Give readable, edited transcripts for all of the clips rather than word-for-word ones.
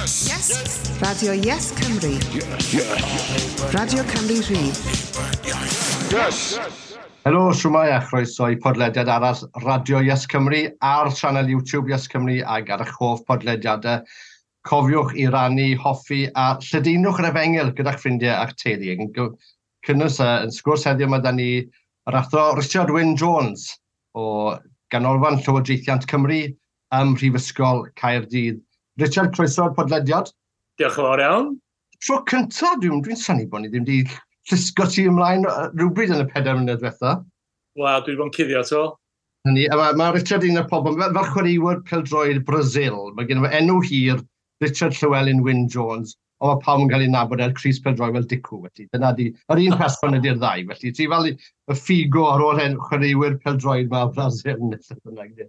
Yes! Yes! Radio Yes Cymru. Yes. Yes. Radio Cymru Rhydd. Yes! Helo, siwmai a chroeso i podlediad arall Radio Yes Cymru ar sianel YouTube Yes Cymru ag ar eich hoff podlediadau. Cofiwch i rannu, hoffi a lledaenwch yr efengyl gyda'ch ffrindiau a'ch teulu. Yn cynnwys yn sgwrs heddiw mae da ni yr athro Richard Wyn Jones o Ganolfan Llywodraethiant Cymru ym Mhrifysgol Caerdydd. Richard, croeso i'r podlediad. Diolch yn fawr iawn. Tro cyntaf, dwi'n dwi synnu bod ni ddim wedi llusgo ti ymlaen rhywbryd yn y 4 mlynedd diwetha. Wel, dwi wedi bod yn cuddio to. Hynny, a mae Richard un o'r pobl, fel chwaraewyr pêl-droed Brazil, mae gen i enw hir, Richard Llewellyn Wyn Jones, ond mae pawb yn cael ei nabod ar crys pêl-droed fel Dicw, felly dyna di, yr un person ydy'r ddau, felly ti fel y Figo ar ôl hen chwaraewyr pêl-droed ma Brazil, neu beth bynnag.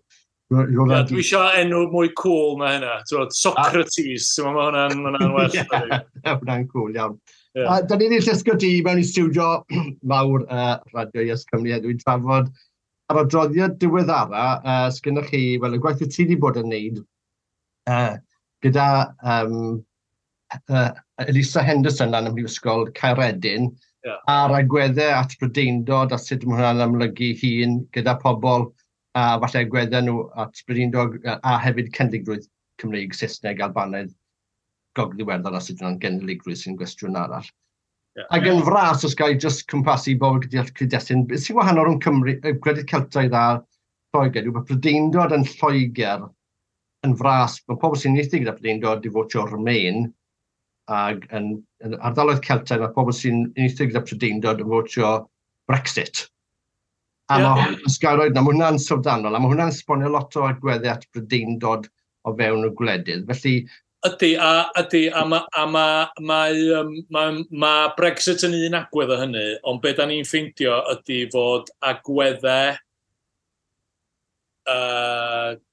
Yeah, dwi eisiau enw mwy cool na hynna. T'wod, Socrates, ti'n meddwl, mae hwnna'n ma hwnna well. Ie, hwnna'n cool iawn. Yeah. Da ni wedi llusgo ti mewn i stiwdio mawr Radio Yes Cymru heddiw i trafod ar adroddiad diweddara sgynnoch chi, wel, y gwaith wyt ti wedi bod yn neud gyda Elisa Henderson lan ym Mhrifysgol Caeredin, a'r agweddau at Brydeindod a sut mae hwnna'n amlygu hun gyda pobl a falle agweddau nhw at Brydeindod a hefyd cenedligrwydd Cymreig, Saesneg, Albanaidd, Gogledd Iwerddon a sut hwnna'n genedligrwydd sy'n gwestiwn arall. Ac yn fras, os ga i jyst cwmpasu bobl gyda'r cyd-destun, beth sy'n wahanol rhwng Cymru, gwledydd Celtaidd a Lloegr yw bod Prydeindod yn Lloegr yn fras, mae pobl sy'n uniaethu gyda Prydeindod di fotio Remain, ac yn ardaloedd Celtaidd mae pobl sy'n uniaethu gyda Prydeindod yn fotio Brexit. A mae os ga i roid 'na, mae hwnna'n syfrdanol, a mae hwnna'n esbonio lot o agweddau at Brydeindod o fewn y gwledydd. Felly, Ydy, a, ydy, a, ma, a ma, mae, ma, ma Brexit yn un agwedd o hynny, ond be da ni'n ffeindio ydy fod agweddau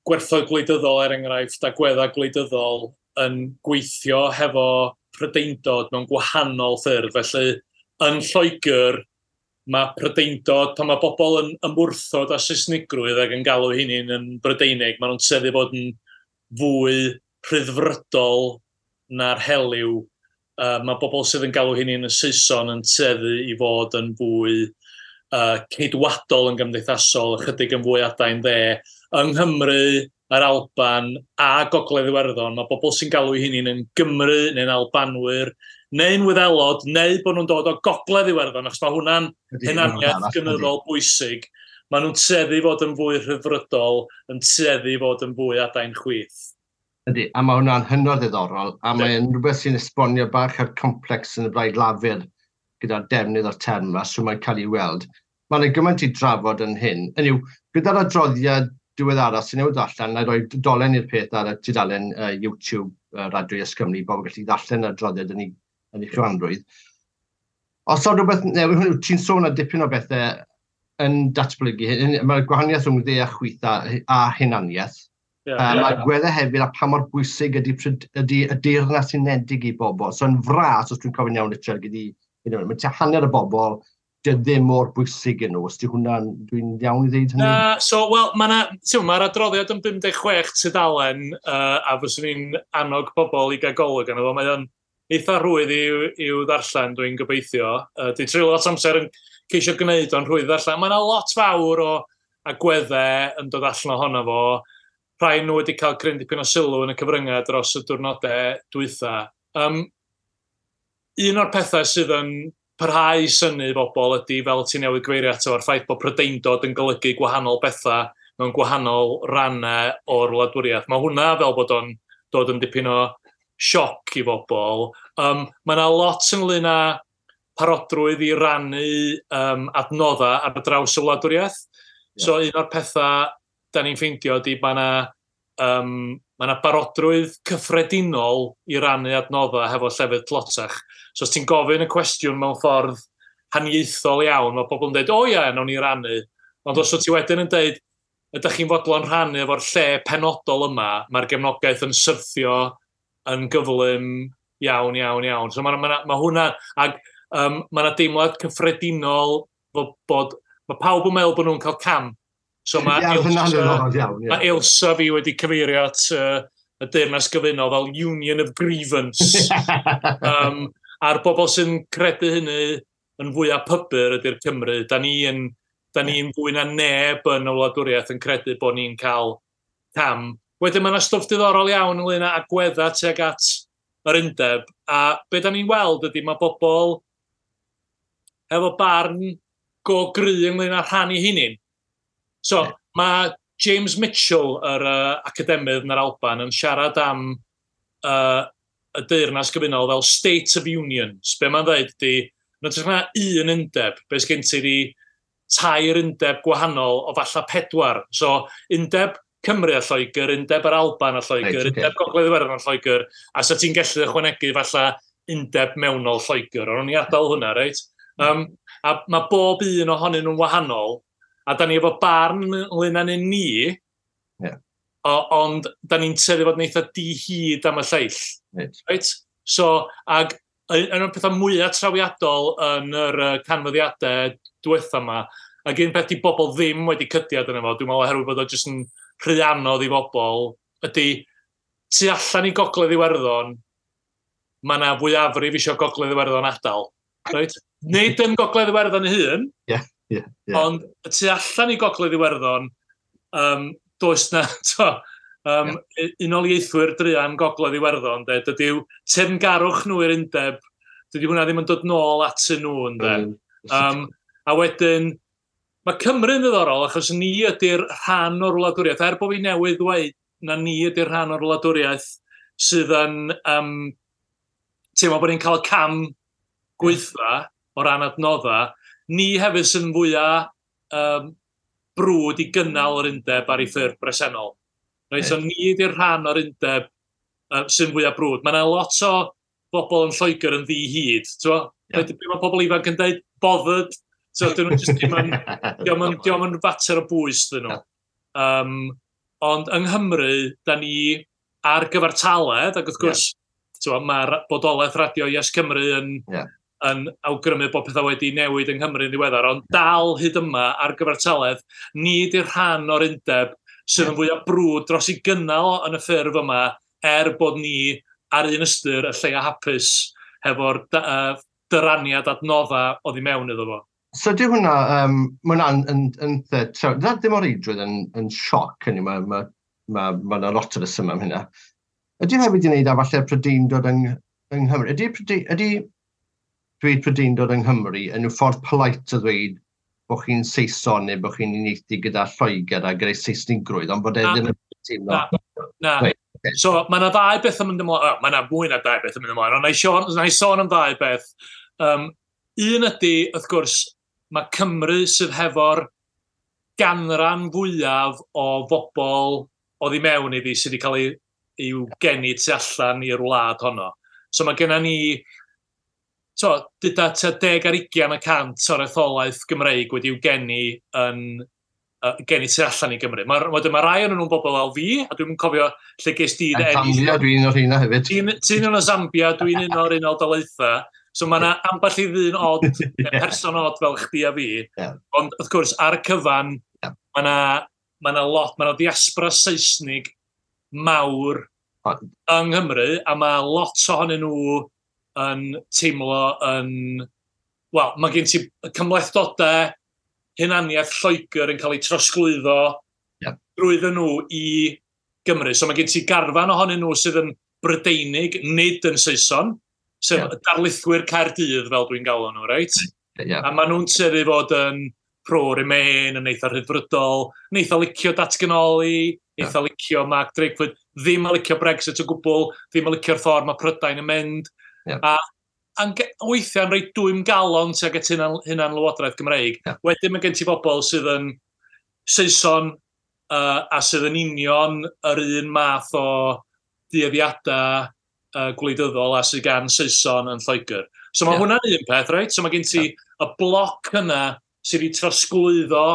gwerthoedd gwleidyddol, er enghraifft, agweddau gwleidyddol yn gweithio hefo Prydeindod mewn gwahanol ffyrdd. Felly, yn Lloegr, mae Prydeindod, pan mae bobl yn ymwrthod â Saesnigrwydd ac yn galw hunain yn Brydeinig, maen nhw'n tueddu bod yn fwy rhyddfrydol na'r helyw. Mae bobl sydd yn galw hunain yn Saeson yn tueddu i fod yn fwy ceidwadol yn gymdeithasol, ychydig yn fwy adain dde. Yng Nghymru, yr Alban a Gogledd Iwerddon, mae bobl sy'n galw hunain yn Gymru neu'n Albanwyr, neu'n Wyddelod, neu bod nhw'n dod o Gogledd Iwerddon, achos mae hwnna'n hunaniaeth gynyddol bwysig. Maen nhw'n tueddu fod yn fwy rhyddfrydol, yn tueddu fod yn fwy adain chwith. Ydy, a mae hwnna'n hynod ddiddorol, a mae'n rhywbeth sy'n esbonio bach ar complex yn y Blaid Lafur gyda'r defnydd o'r term yma, so mae'n cael ei weld. Mae yna gymaint i drafod yn hyn. Hynny yw, gyda'r adroddiad diweddara sy'n newid allan, na i roi dolen i'r peth ar y tudalen YouTube Radio Yes Cymru, bobl gallu ddarllen yr adroddiad yn ei chyfanrwydd. Os oes rhywbeth newydd, hwnnw, ti'n sôn ar dipyn o bethau yn datblygu, mae'r gwahaniaeth rhwng dde a chwith a hunaniaeth. Mae gweddau hefyd a pa mor bwysig ydy y Deyrnas Unedig i bobl. So yn fras, os dwi'n cofio'n iawn, Richard, gyda, mae tua hanner y bobl, dy ddim mor bwysig yn nhw. Os di hwnna'n, dwi'n iawn i ddeud hynny? Na, so, wel, mae'r adroddiad yn 56 tudalen, a fyswn i'n annog pobl i gael golwg arno fo. Mae o'n eitha rhwydd i'w ddarllen, dwi'n gobeithio. Dwi'n treulio lot o amser yn ceisio gwneud o'n rhwydd ddarllen. Mae yna lot fawr o agweddau yn dod allan ohono fo. Rhai nhw wedi cael cryn dipyn o sylw yn y cyfryngau dros y diwrnodau dwytha. Un o'r pethau sydd yn parhau i synnu bobl ydy, fel ti newydd gyfeirio ato, a'r ffaith bod Prydeindod yn golygu gwahanol bethau mewn gwahanol rannau o'r wladwriaeth. Mae hwnna fel bod o'n dod yn dipyn o sioc i bobl. Mae yna lot ynglyn â parodrwydd i rannu adnoddau ar draws y wladwriaeth. So un o'r pethau da ni'n ffeindio ydy mae yna ma' 'na barodrwydd cyffredinol i rannu adnoddau hefo llefydd tlotach. So os ti'n gofyn y cwestiwn mewn ffordd haniaethol iawn, mae pobl yn dweud, o ie, nawn ni rannu. Ond os wyt ti wedyn yn dweud, ydych chi'n fodlon rhannu efo'r lle penodol yma, mae'r gefnogaeth yn syrthio yn gyflym iawn, iawn, iawn. So ma hwnna, ag ma' 'na deimlad cyffredinol bod mae pawb yn meddwl bod nhw'n cael cam. So mae Ie, hynna'n Ailsa, ddiddorol iawn, ie. mae Ailsa fi wedi cyfeirio at y Deyrnas Gyfunol fel Union of Grievance. A'r bobl sy'n credu hynny yn fwyaf pybyr ydy'r Cymru. Da ni'n da ni fwy na neb yn y wladwriaeth yn credu bod ni'n cael cam. Wedyn mae yna stwff diddorol iawn ynglyn â agweddau tuag at yr undeb. A be da ni'n weld ydy mae bobl efo barn go gry ynglyn â rhannu hunin. So, mae James Mitchell, yr academydd yn yr Alban, yn siarad am y Deyrnas Gyfunol fel State of Unions. Be mae'n dweud ydy, yn hytrach na un undeb, be sgen ti di tair undeb gwahanol o falla pedwar. So, undeb Cymru a Lloegr, undeb yr Alban a Lloegr, undeb Gogledd Iwerddon a Lloegr, a sa ti'n gallu ychwanegu falla undeb mewnol Lloegr. Ond o'n i adael hwnna, reit? A mae bob un ohonyn nhw'n wahanol, a da ni efo barn ynglyn â ni, ond da ni'n tueddu fod yn eitha di-hid am y lleill. Right? So, ag un o'r pethau mwyaf trawiadol yn yr canfyddiadau diwetha yma, ac un peth di bobl ddim wedi cydiad yna fo, dwi'n meddwl oherwydd bod o jyst yn rhy anodd i bobl, ydy tu allan i Gogledd Iwerddon, mae yna fwyafrif eisiau Gogledd Iwerddon adael. Right? Nid yn Gogledd Iwerddon ei hun, Ie. ond y tu allan i Gogledd Iwerddon, does na, to, unoliaethwyr druan Gogledd Iwerddon, de, dydyw teyrngarwch nhw i'r undeb, dydy hwnna ddim yn dod nôl atyn nhw, ynde. A wedyn, mae Cymru'n ddiddorol achos ni ydy'r rhan o'r wladwriaeth, er bod fi newydd ddweud na ni ydy'r rhan o'r wladwriaeth sydd yn teimlo bod ni'n cael y cam gweitha o ran adnodda, ni hefyd sydd yn fwyaf brwd i gynnal yr undeb ar ei ffurf bresennol. Reit, so ni ydy'r rhan o'r undeb sy'n fwyaf brwd. Mae yna lot o bobl yn Lloegr yn ddi-hid. Ie. Be mae pobl ifanc yn dweud? Bothered. So, dyn nhw jyst ddim yn, dio'm yn fater o bwys dyn nhw. Ond yng Nghymru, da ni ar gyfartaledd, ac wrth gwrs, yeah, mae'r bodolaeth radio Yes Cymru yn, yn awgrymu bod pethau wedi newid yng Nghymru yn ddiweddar, ond dal hyd yma ar gyfartaledd, ni ydy'r rhan o'r undeb sydd yn fwyaf brwd dros i gynnal yn y ffurf yma, er bod ni ar un ystyr y lleia hapus hefo'r dyraniad adnodda oddi mewn iddo fo. So di hwnna, mae hwnna'n yn, na ddim o reidrwydd yn sioc, hynny, ma lot o resymau am hynna. Ydy hefyd i wneud â falle Prydeindod yng Nghymru? Ydy dweud Prydeindod yng Nghymru yn yw ffordd polite o ddweud bod chi'n Saeson neu bod chi'n uniaethu gyda Lloegr a gyda'i Seisnigrwydd, ond bod e ddim yn teimlo? Na, na. Reit, ocê. So, mae yna ddau beth yn mynd ymlaen, oh, mae yna fwy na dau beth yn mynd ymlaen, ond na i sôn am ddau beth. Un ydy, wrth gwrs, mae Cymru sydd hefo'r ganran fwyaf o bobl oddi mewn iddi sydd wedi cael ei i'w geni tu allan i'r wlad honno. So mae genna ni, so, dyda tua 20% o'r etholaeth Gymreig wedi'w geni yn geni tu allan i Gymru. Wedyn mae rai o'n nhw'n bobl fel fi, a dwi'n cofio lle ges di dy Yn eni. Zambia, dwi'n un o'r rheina hefyd. Ti'n un o Zambia, dwi'n un o'r Unol Daleithiau. So mae yna ambell i ddyn od, neu person od fel chdi a fi. Ond wrth gwrs, ar y cyfan, mae yna ma lot, mae yna diaspora Saesnig mawr yng Nghymru, a mae lot ohonyn nhw yn teimlo yn... Wel, mae gen ti cymhlethdodau hunaniaeth Lloegr yn cael ei trosglwyddo drwyddyn nhw i Gymru. So mae gen ti garfan ohonyn nhw sydd yn Brydeinig, nid yn Saeson, sef darlithwyr Caerdydd, fel dwi'n galw nhw, reit? Ie. A maen nhw'n tueddu fod yn pro-Remain, yn eitha rhyddfrydol, yn eitha licio datganoli, eitha licio Mark Drakeford, ddim yn licio Brexit o gwbl, ddim yn licio'r ffordd mae Prydain yn mynd. A weithiau'n rhoi dwym galon tuag at hunan Lywodraeth Gymreig. Wedyn mae gen ti bobl sydd yn Saeson a sydd yn union yr un math o dueddiadau gwleidyddol a sydd gan Saeson yn Lloegr. So mae hwnna'n un peth, reit? So mae gen ti y bloc yna sydd wedi trosglwyddo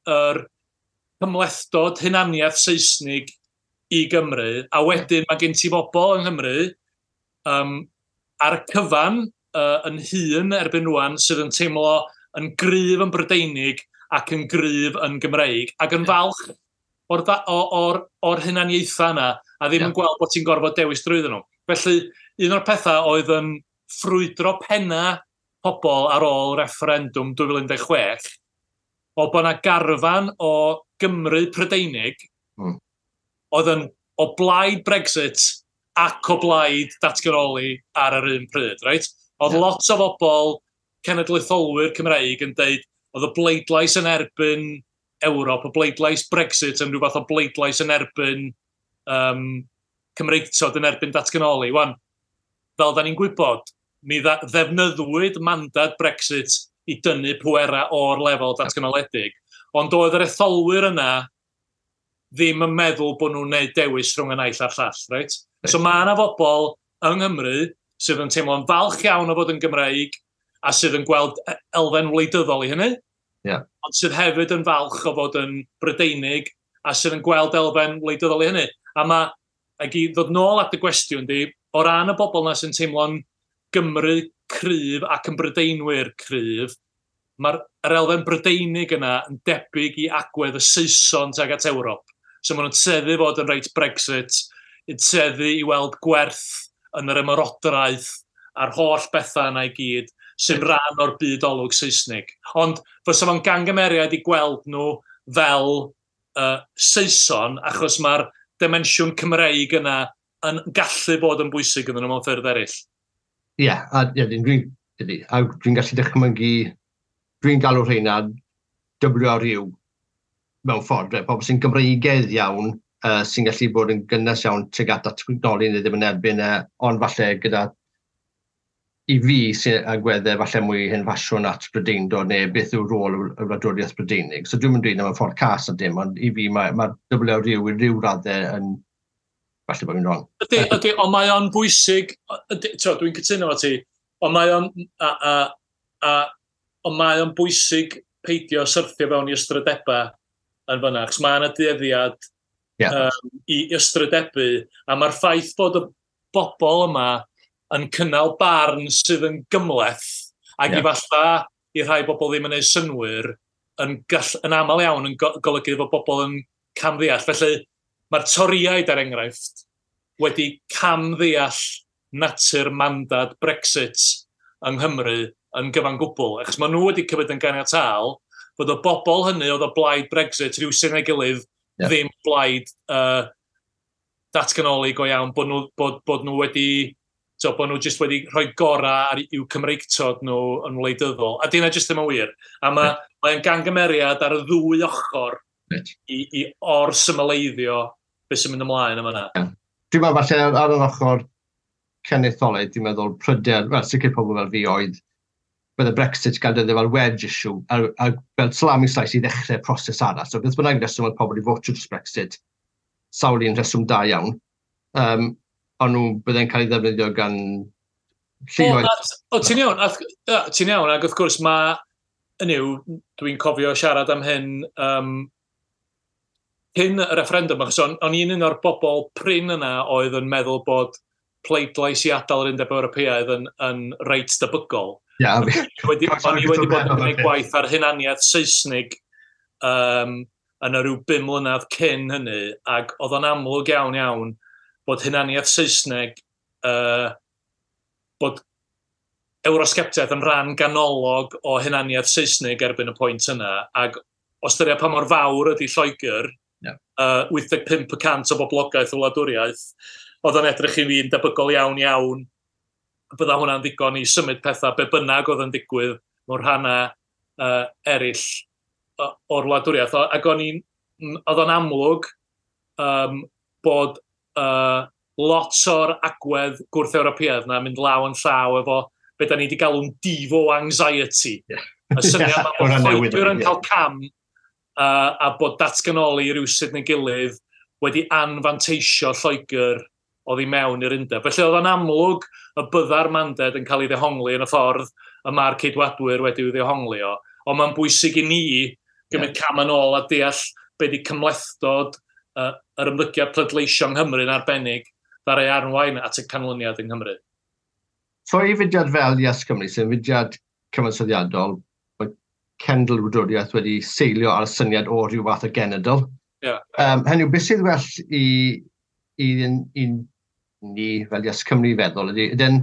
yr cymhlethdod hunaniaeth Seisnig i Gymru, a wedyn mae gen ti bobl yng Nghymru ar y cyfan yn hŷn erbyn rwan sydd yn teimlo yn gryf yn Brydeinig ac yn gryf yn Gymreig ac yn falch o'r, or, or, or hunaniaethau yna. a ddim yn gweld bod ti'n gorfod dewis drwyddyn nhw. Felly, un o'r pethau oedd yn ffrwydro penna pobl ar ôl referendwm 2016, o bod yna garfan o Gymru Prydeinig oedd yn o blaid Brexit ac o blaid datganoli ar yr un pryd, reit? Oedd lot o bobl cenedlaetholwyr Cymreig yn deud oedd y bleidlais yn erbyn Ewrop, y bleidlais Brexit yn rhyw fath o bleidlais yn erbyn Cymreictod, yn erbyn datganoli. Wan, fel da ni'n gwybod, mi ddefnyddwyd mandad Brexit i dynnu pwera o'r lefel datganoledig. Ond oedd yr etholwyr yna ddim yn meddwl bod nhw'n gwneud dewis rhwng y naill a'r llall, reit? So mae yna bobl yng Nghymru sydd yn teimlo'n falch iawn o fod yn Gymreig a sydd yn gweld elfen wleidyddol i hynny, ond sydd hefyd yn falch o fod yn Brydeinig a sydd yn gweld elfen wleidyddol i hynny. A mae, ac i ddod nôl at y gwestiwn di, o ran y bobl yna sy'n teimlo'n Gymru cryf ac yn Brydeinwyr cryf, mae'r elfen Brydeinig yna yn debyg i agwedd y Saeson tuag at Ewrop. So maen nhw'n tueddu fod yn reit Brexit, yn tueddu i weld gwerth yn yr ymerodraeth a'r holl bethau yna i gyd sy'n rhan o'r byd olwg Saesnig. Ond fysa fo'n gangymeriad i gweld nhw fel Saeson, achos mae'r dimensiwn Cymreig yna yn gallu bod yn bwysig iddyn nhw mewn ffyrdd eraill. Ie, yeah, a dwi'n gallu dychmygu, dwi'n galw rheina WRU mewn ffordd, pobl sy'n Gymreigaidd iawn, sy'n gallu bod yn gynnes iawn tuag at datganoli neu ddim yn erbyn, ond falle gyda i fi sy'n agweddau falle mwy hen ffasiwn at Brydeindod neu beth yw rôl y wladwriaeth Brydeinig. So dwi'n mynd dweud am y ffordd cas a dim, ond i fi mae WRU i ryw raddau yn falle bod fi'n wrong. Ydy, ond mae o'n bwysig, dwi'n cytuno efo ti, ond mae o'n ond mae o'n bwysig peidio syrthio fewn i ystrydebau yn fyna, achos mae yna dueddiad i ystrydebu, a mae'r ffaith bod y bobl yma yn cynnal barn sydd yn gymhleth, ac i falla i rhai bobl ddim yn ei synwyr, yn aml iawn yn golygu fod bobl yn camddeall. Felly mae'r Torïaid, er enghraifft, wedi camddeall natur mandad Brexit yng Nghymru yn gyfan gwbl, achos maen nhw wedi cymryd yn ganiataol bod y bobl hynny oedd o blaid Brexit rhywsut neu gilydd ddim blaid datganoli go iawn, bod nhw wedi, bod nhw jyst wedi rhoi gorau ar i'w Cymreictod nhw yn wleidyddol. A dyna jyst ddim yn wir. A mae'n gangymeriad ar y ddwy ochr i or-symleiddio beth sy'n mynd ymlaen yma. Yeah. Dwi'n meddwl falle ar yr ochr cenedlaetholaidd, dwi'n meddwl pryder, wel sicr pobl fel fi oedd, bydde Brexit gael dyddio fel wedge issue, a fel salami slice i ddechrau proses arall. So beth bynnag reswm oedd pobl i fotio dros Brexit, sawl un reswm da iawn, ond nhw bydde'n cael ei ddefnyddio gan lluoedd. O, ti'n iawn, ti'n iawn, ac wrth gwrs mae, hynny yw, dwi'n cofio siarad am hyn cyn y referendum, achos o'n i'n un o'r bobl prin yna oedd yn meddwl bod pleidlais i adael yr Undeb Ewropeaidd yn reit debygol. Yeah, o'n i wedi bod yn gwneud gwaith ar hunaniaeth Saesnig yn y rhyw 5 mlynedd cyn hynny, ac oedd o'n amlwg iawn iawn bod hunaniaeth Saesneg, bod Eurosceptiaeth yn rhan ganolog o hunaniaeth Saesnig erbyn y pwynt yna, ac o ystyried pa mor fawr ydy Lloegr, 85% o boblogaeth o wladwriaeth, oedd o'n edrych i fi'n debygol iawn iawn bydda hwnna'n ddigon i symud pethau be bynnag oedd yn digwydd mewn rhannau eraill o'r wladwriaeth. Ac oedd o'n amlwg bod lot o'r agwedd gwrth-Ewropeaidd na mynd law yn llaw efo be da ni wedi galw'n devo anxiety. Y syniad yma bod Lloegr yn cael cam a bod datganoli rywsut neu gilydd wedi anfanteisio Lloegr oddi mewn i'r undeb. Felly oedd o'n amlwg y bydda'r mandad yn cael ei ddehongli yn y ffordd y mae'r Ceidwadwyr wedi'w ddehongli o. Ond mae'n bwysig i ni gymryd cam yn ôl a deall be di cymhlethdod yr ymddygiad pleidleisio yng Nghymru yn arbennig ddaru arwain at y canlyniad yng Nghymru. So i fudiad fel Yes Cymru, sy'n fudiad cyfansoddiadol, mae cenedl wladwriaeth wedi seilio ar y syniad o rhyw fath o genedl. Hynny yw, beth sydd well i i ni fel Yes Cymru feddwl ydy, ydyn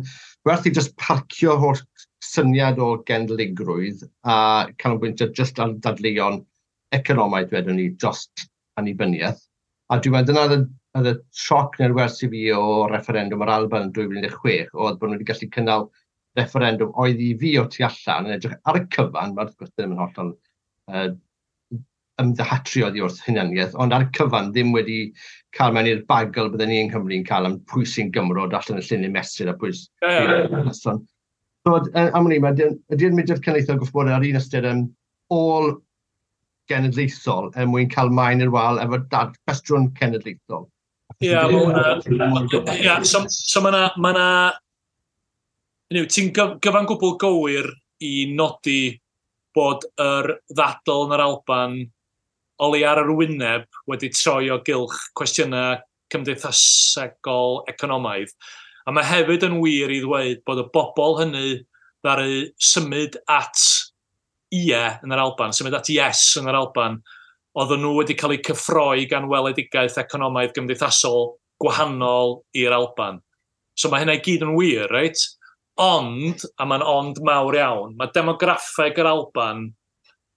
werth i just parcio holl syniad o genedligrwydd a canolbwyntio just ar dadleuon economaidd, wedwn ni, dros annibyniaeth. A dwi'n meddwl dyna oedd y sioc neu'r wers i fi o refferendwm yr Alban yn 2016, oedd bod nhw wedi gallu cynnal refferendwm oedd i fi o tu allan yn edrych ar y cyfan, mae'r wrth gwrs ddim yn hollol ymddyhatru oddi wrth hunaniaeth, ond ar y cyfan ddim wedi cael mewn i'r bagl bydden ni yng Nghymru'n cael am pwy sy'n Gymro allan y llinyn mesur a pwy sy'n... So, am hynny, ydy'r mudiad cenedlaethol gwrth bod ar un ystyr yn ôl genedlaethol er mwyn cael maen i'r wal efo cwestiwn cenedlaethol. Ie, yeah, so mae yna... Ti'n gyfan gwbl gywir i nodi bod yr ddadl yn yr Alban o leia ar yr wyneb wedi troi o gylch cwestiynau cymdeithasegol economaidd. A mae hefyd yn wir i ddweud bod y bobl hynny ddaru symud at ie yn yr Alban, symud at yes yn yr Alban, oedden nhw wedi cael eu cyffroi gan weledigaeth economaidd gymdeithasol gwahanol i'r Alban. So mae hynna i gyd yn wir, reit? Ond, a mae'n ond mawr iawn, mae demograffeg yr Alban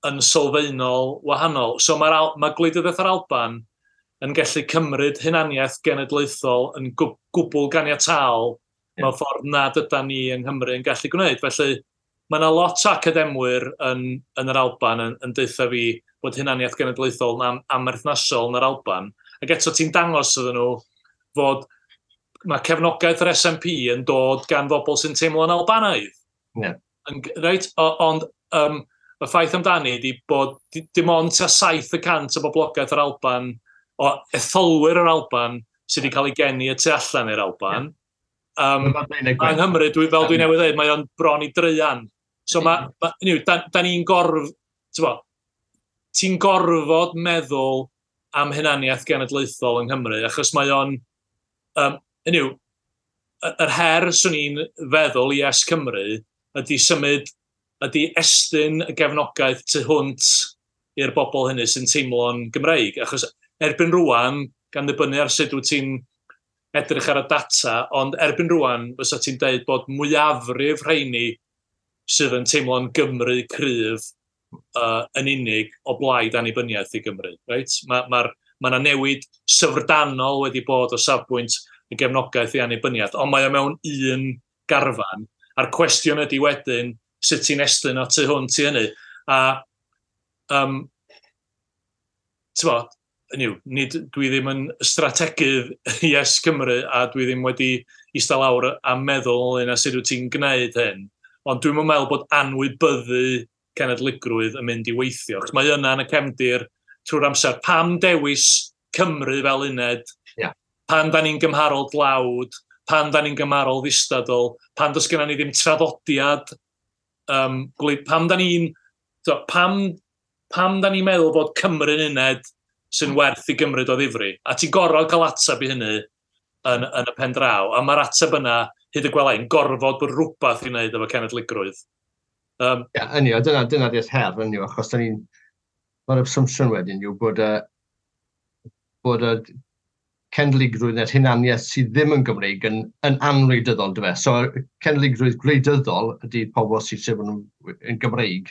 yn sylfaenol wahanol. So mae gwleidyddiaeth yr Alban yn gallu cymryd hunaniaeth genedlaethol yn gwbl ganiataol mewn ffordd nad ydan ni yng Nghymru yn gallu gwneud. Felly mae yna lot o academwyr yn yr Alban yn deutha fi bod hunaniaeth genedlaethol yn amherthnasol yn yr Alban. Ac eto ti'n dangos iddyn nhw fod mae cefnogaeth yr SNP yn dod gan bobl sy'n teimlo'n Albanaidd. Yeah. Reit? Ond y ffaith amdani ydy bod dim ond tua 7% o boblogaeth yr Alban, o etholwyr yr Alban, sydd wedi cael ei geni y tu allan i'r Alban. Yng Nghymru, fel dwi newydd dweud, mae o'n bron i draean. So da ni'n ti'n gorfod meddwl am hunaniaeth genedlaethol yng Nghymru, achos mae o'n... yr her swn i'n feddwl i Yes Cymru ydy symud, ydy estyn y gefnogaeth tu hwnt i'r bobl hynny sy'n teimlo'n Gymreig. Achos erbyn rwan, gan ddibynnu ar sut wyt ti'n edrych ar y data, ond erbyn rwan fysa ti'n deud bod mwyafrif rheini sydd yn teimlo'n Gymru cryf yn unig o blaid annibyniaeth i Gymru. Reit? Mae yna newid syfrdanol wedi bod o safbwynt y gefnogaeth i annibyniaeth, ond mae o mewn un garfan, a'r cwestiwn ydy wedyn sut ti'n estyn o tu hwnt i hynny. A dwi ddim yn strategydd Yes Cymru a dwi ddim wedi eistedd lawr a meddwl ynglŷn â sut wyt ti'n gwneud hyn, ond dwi'n meddwl bod anwybyddu cenedligrwydd yn mynd i weithio. Achos mae yna yn y cefndir trwy'r amser, pam dewis Cymru fel uned, pan da ni'n gymharol dlawd, pan da ni'n gymharol ddistadl, pan does gennym ni ddim traddodiad, pam da ni'n pam da ni'n meddwl bod Cymru'n uned sy'n werth i gymryd o ddifri? A ti'n gorfod cael ateb i hynny yn y pen draw. A mae'r ateb yna, hyd y gwela i'n gorfod bod rhywbeth i wneud efo cenedligrwydd. Ie, hynny, dyna di'r her, hynny, achos mae'r assumption wedyn yw bod y cenedligrwydd neu'r hunaniaeth sydd ddim yn Gymreig yn anwleidyddol, dyfe. So, cenedligrwydd gwleidyddol ydy pobl sydd eisiau bod yn Gymreig,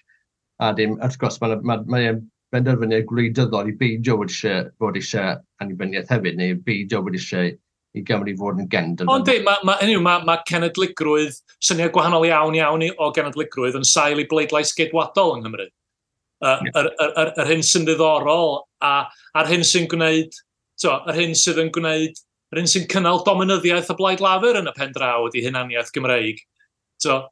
a dim, wrth gwrs, mae'n benderfyniad gwleidyddol i beidio bod eisiau annibyniaeth hefyd, neu beidio bod eisiau i Gymru fod yn gendl. Ond mae cenedligrwydd, syniad gwahanol iawn iawn o genedligrwydd yn sail i bleidlais geidwadol yng Nghymru. Yr hyn sy'n ddiddorol a'r hyn sy'n gwneud, yr hyn sydd yn gwneud, yr hyn sy'n cynnal dominyddiaeth y Blaid Lafur yn y pen draw ydy hunaniaeth Gymreig.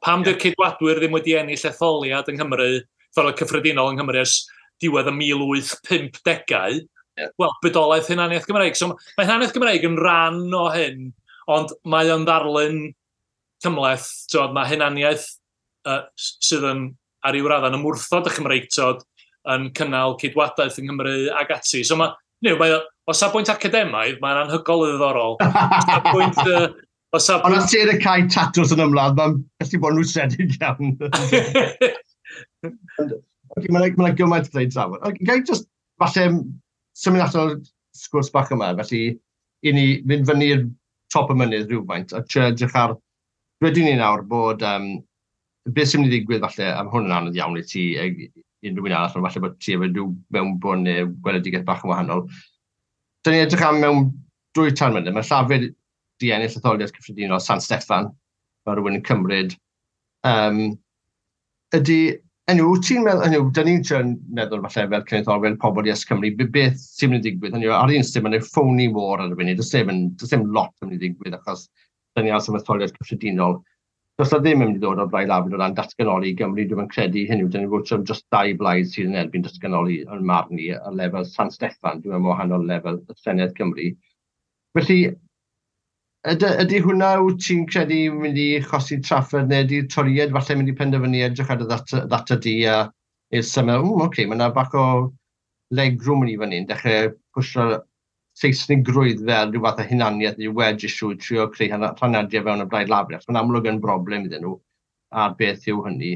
Pam di'r Ceidwadwyr ddim wedi ennill etholiad yng Nghymru, etholiad cyffredinol yng Nghymru ers diwedd y 1850au, wel, bydolaeth hunaniaeth Gymreig. So mae hunaniaeth Gymreig yn rhan o hyn, ond mae o'n ddarlun cymhleth. Mae hunaniaeth sydd yn ar ryw raddau yn ymwrthod y Chymreictod yn cynnal ceidwadaeth yng Nghymru ac ati. So mae, o safbwynt academaidd, mae'n anhygoel o ddiddorol. O safbwynt... Ond os ti'n y cae tatws yn ymladd, mae'n gallu bod yn rwystredig iawn. Mae'n gymaint o ddweud trafod. Gai just, falle, symud allan o'r sgwrs bach yma, felly, i ni fynd fyny'r top y mynydd rhywfaint a trio edrych ar, dwedwn ni nawr bod beth sy'n mynd i ddigwydd falle, a ma' hwn yn anodd iawn i ti ag unrhyw un arall, ond falle bod ti efo rhyw mewnbwn neu gweledigaeth bach yn wahanol. Da ni'n edrych am mewn 2-3 mlynedd, mae Llafur di ennill etholiad cyffredinol San Steffan, mae rhywun yn cymryd. Ydy, enw, wyt ti'n meddwl, enw, da ni'n trio meddwl falle fel cenedlaetholwyr, pobl i Cymru, beth sy'n mynd i ddigwydd? Hynny yw, ar un stym, mae'n phony war ar y funud, does dim lot yn mynd i ddigwydd achos da ni aros am etholiad cyffredinol. Does na ddim yn mynd i ddod o'r Blaid Lafur o ran datganoli i Gymru, dwi'n credu hynny yw, da ni'n fod dros dau blaid sydd yn erbyn datganoli yn marn i ar lefel San Steffan, dwi'n meddwl wahanol lefel y Senedd Cymru. Felly, ydy hwnna wyt ti'n credu mynd i chosi trafferth neu ydy'r Torïaid falle mynd i penderfynu edrych ar y ddata di a i'r symud, oce, okay, mae yna bach o legroom yn i fyny, yn dechrau pwysio Seisnigrwydd fel rhyw fath o hunaniaeth neu wedge issue, trio creu rhanadiau fewn y Blaid Lafur. Mae'n amlwg yn broblem iddyn nhw, a beth yw hynny.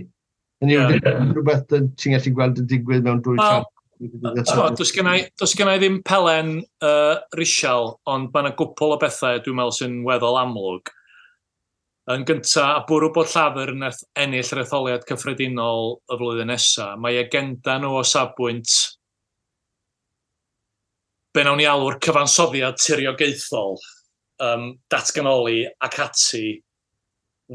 Hynny yw, rhywbeth ti'n gallu gweld yn digwydd mewn dwy well, does gen i ddim pelen risial, ond mae yna gwpl o bethau dwi'n meddwl sy'n weddol amlwg. Yn gyntaf, a bwrw bod Llafur yn ennill yr etholiad cyffredinol y flwyddyn nesaf, mae agenda nhw o safbwynt be nawn ni alw'r cyfansoddiad tiriogaethol, datganoli ac ati,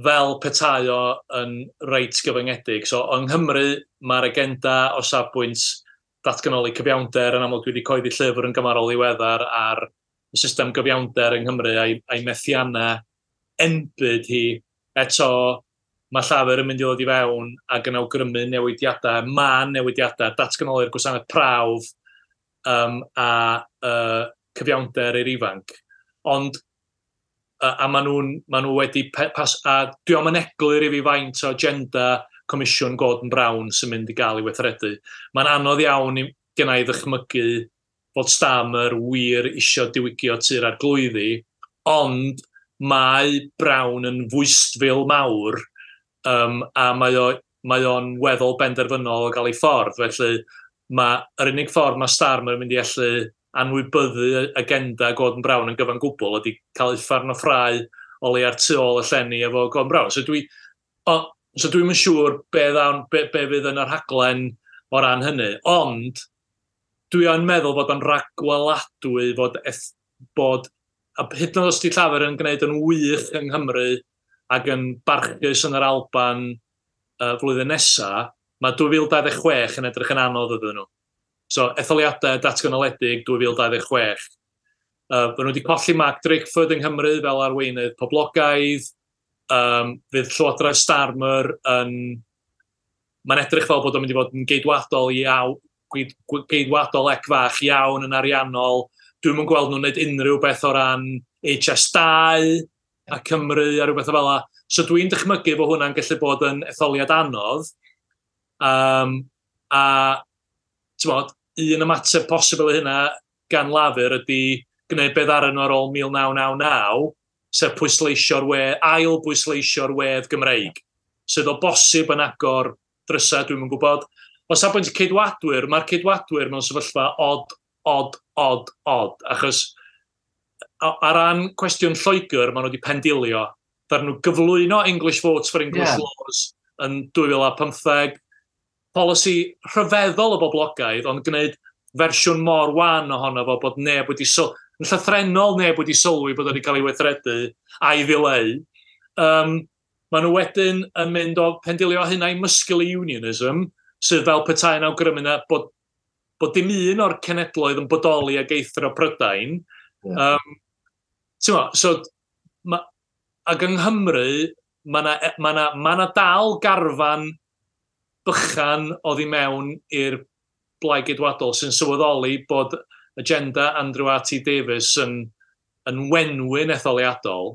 fel petai o yn reit gyfyngedig. So, yng Nghymru, mae'r agenda o safbwynt datganoli cyfiawnder, yn amlwg dwi wedi coeddi llyfr yn gymarol ddiweddar ar y system gyfiawnder yng Nghymru a'i methiannau enbyd hi. Eto, mae Llafur yn mynd i ddod i fewn ac yn awgrymu newidiadau, mân newidiadau, datganoli'r gwasanaeth prawf, a cyfiawnder i'r ifanc. Ond, a maen nhw wedi, a dwi am yn eglur i fi faint o agenda Comisiwn Gordon Brown sy'n mynd i gael ei weithredu. Mae'n anodd iawn genna i ddychmygu bod Starmer wir isio diwygio Tŷ'r Arglwyddi, ond mae Brown yn fwystfil mawr, a mae o'n weddol benderfynol o gael ei ffordd. Felly, mae'r unig ffordd mae Starmer yn mynd i allu anwybyddu agenda Gordon Brown yn gyfan gwbl ydy cael uffern o ffrau o leia'r tu ôl y llenni efo Gordon Brown. So dwi'm yn siŵr be fydd yn y rhaglen o ran hynny, ond dwi yn meddwl bod o'n ragweladwy fod a hyd yn oed os 'di Llafur yn gwneud yn wych yng Nghymru ac yn barchus yn yr Alban flwyddyn nesaf, mae 2026 yn edrych yn anodd iddyn nhw. So, etholiadau datganoledig 2026. Maen nhw wedi colli Mark Drakeford yng Nghymru fel arweinydd poblogaidd. Fydd Llywodraeth Starmer yn... Mae'n edrych fel bod o'n mynd i fod yn geidwadol iawn, geidwadol ec fach iawn yn ariannol. Dwi'm yn gweld nhw'n gwneud unrhyw beth o ran HS2 a Cymru a rhywbeth o fel 'na. So dwi'n dychmygu bod hwnna'n gallu bod yn etholiad anodd. A t'mod, un ymateb posibl i hynna gan Lafur ydy gwneud beth ddaru nhw ar ôl 1999, sef pwysleisio'r ail bwysleisio'r wedd Gymreig, sydd o bosib yn agor drysau, dwi'm yn gwybod. O safbwynt y Ceidwadwyr, mae'r Ceidwadwyr mewn sefyllfa od, od, od, od, achos ar ran cwestiwn Lloegr, maen nhw wedi pendilio. Ddaru nhw gyflwyno English Votes for English Laws yn 2015, polisi rhyfeddol o boblogaidd, ond gwneud fersiwn mor wan ohono fo bod neb wedi yn llythrennol neb wedi sylwi bod wedi cael ei weithredu a'i ddileu. Maen nhw wedyn yn mynd o pendilio hynna i muscular unionism, sydd fel petai yn awgrymu na bod dim un o'r cenedloedd yn bodoli ag eithrio Prydain. So, ac yng Nghymru, mae 'na dal garfan bychan oddi mewn i'r Blaid Geidwadol sy'n sylweddoli bod agenda Andrew R.T. Davies yn wenwyn etholiadol,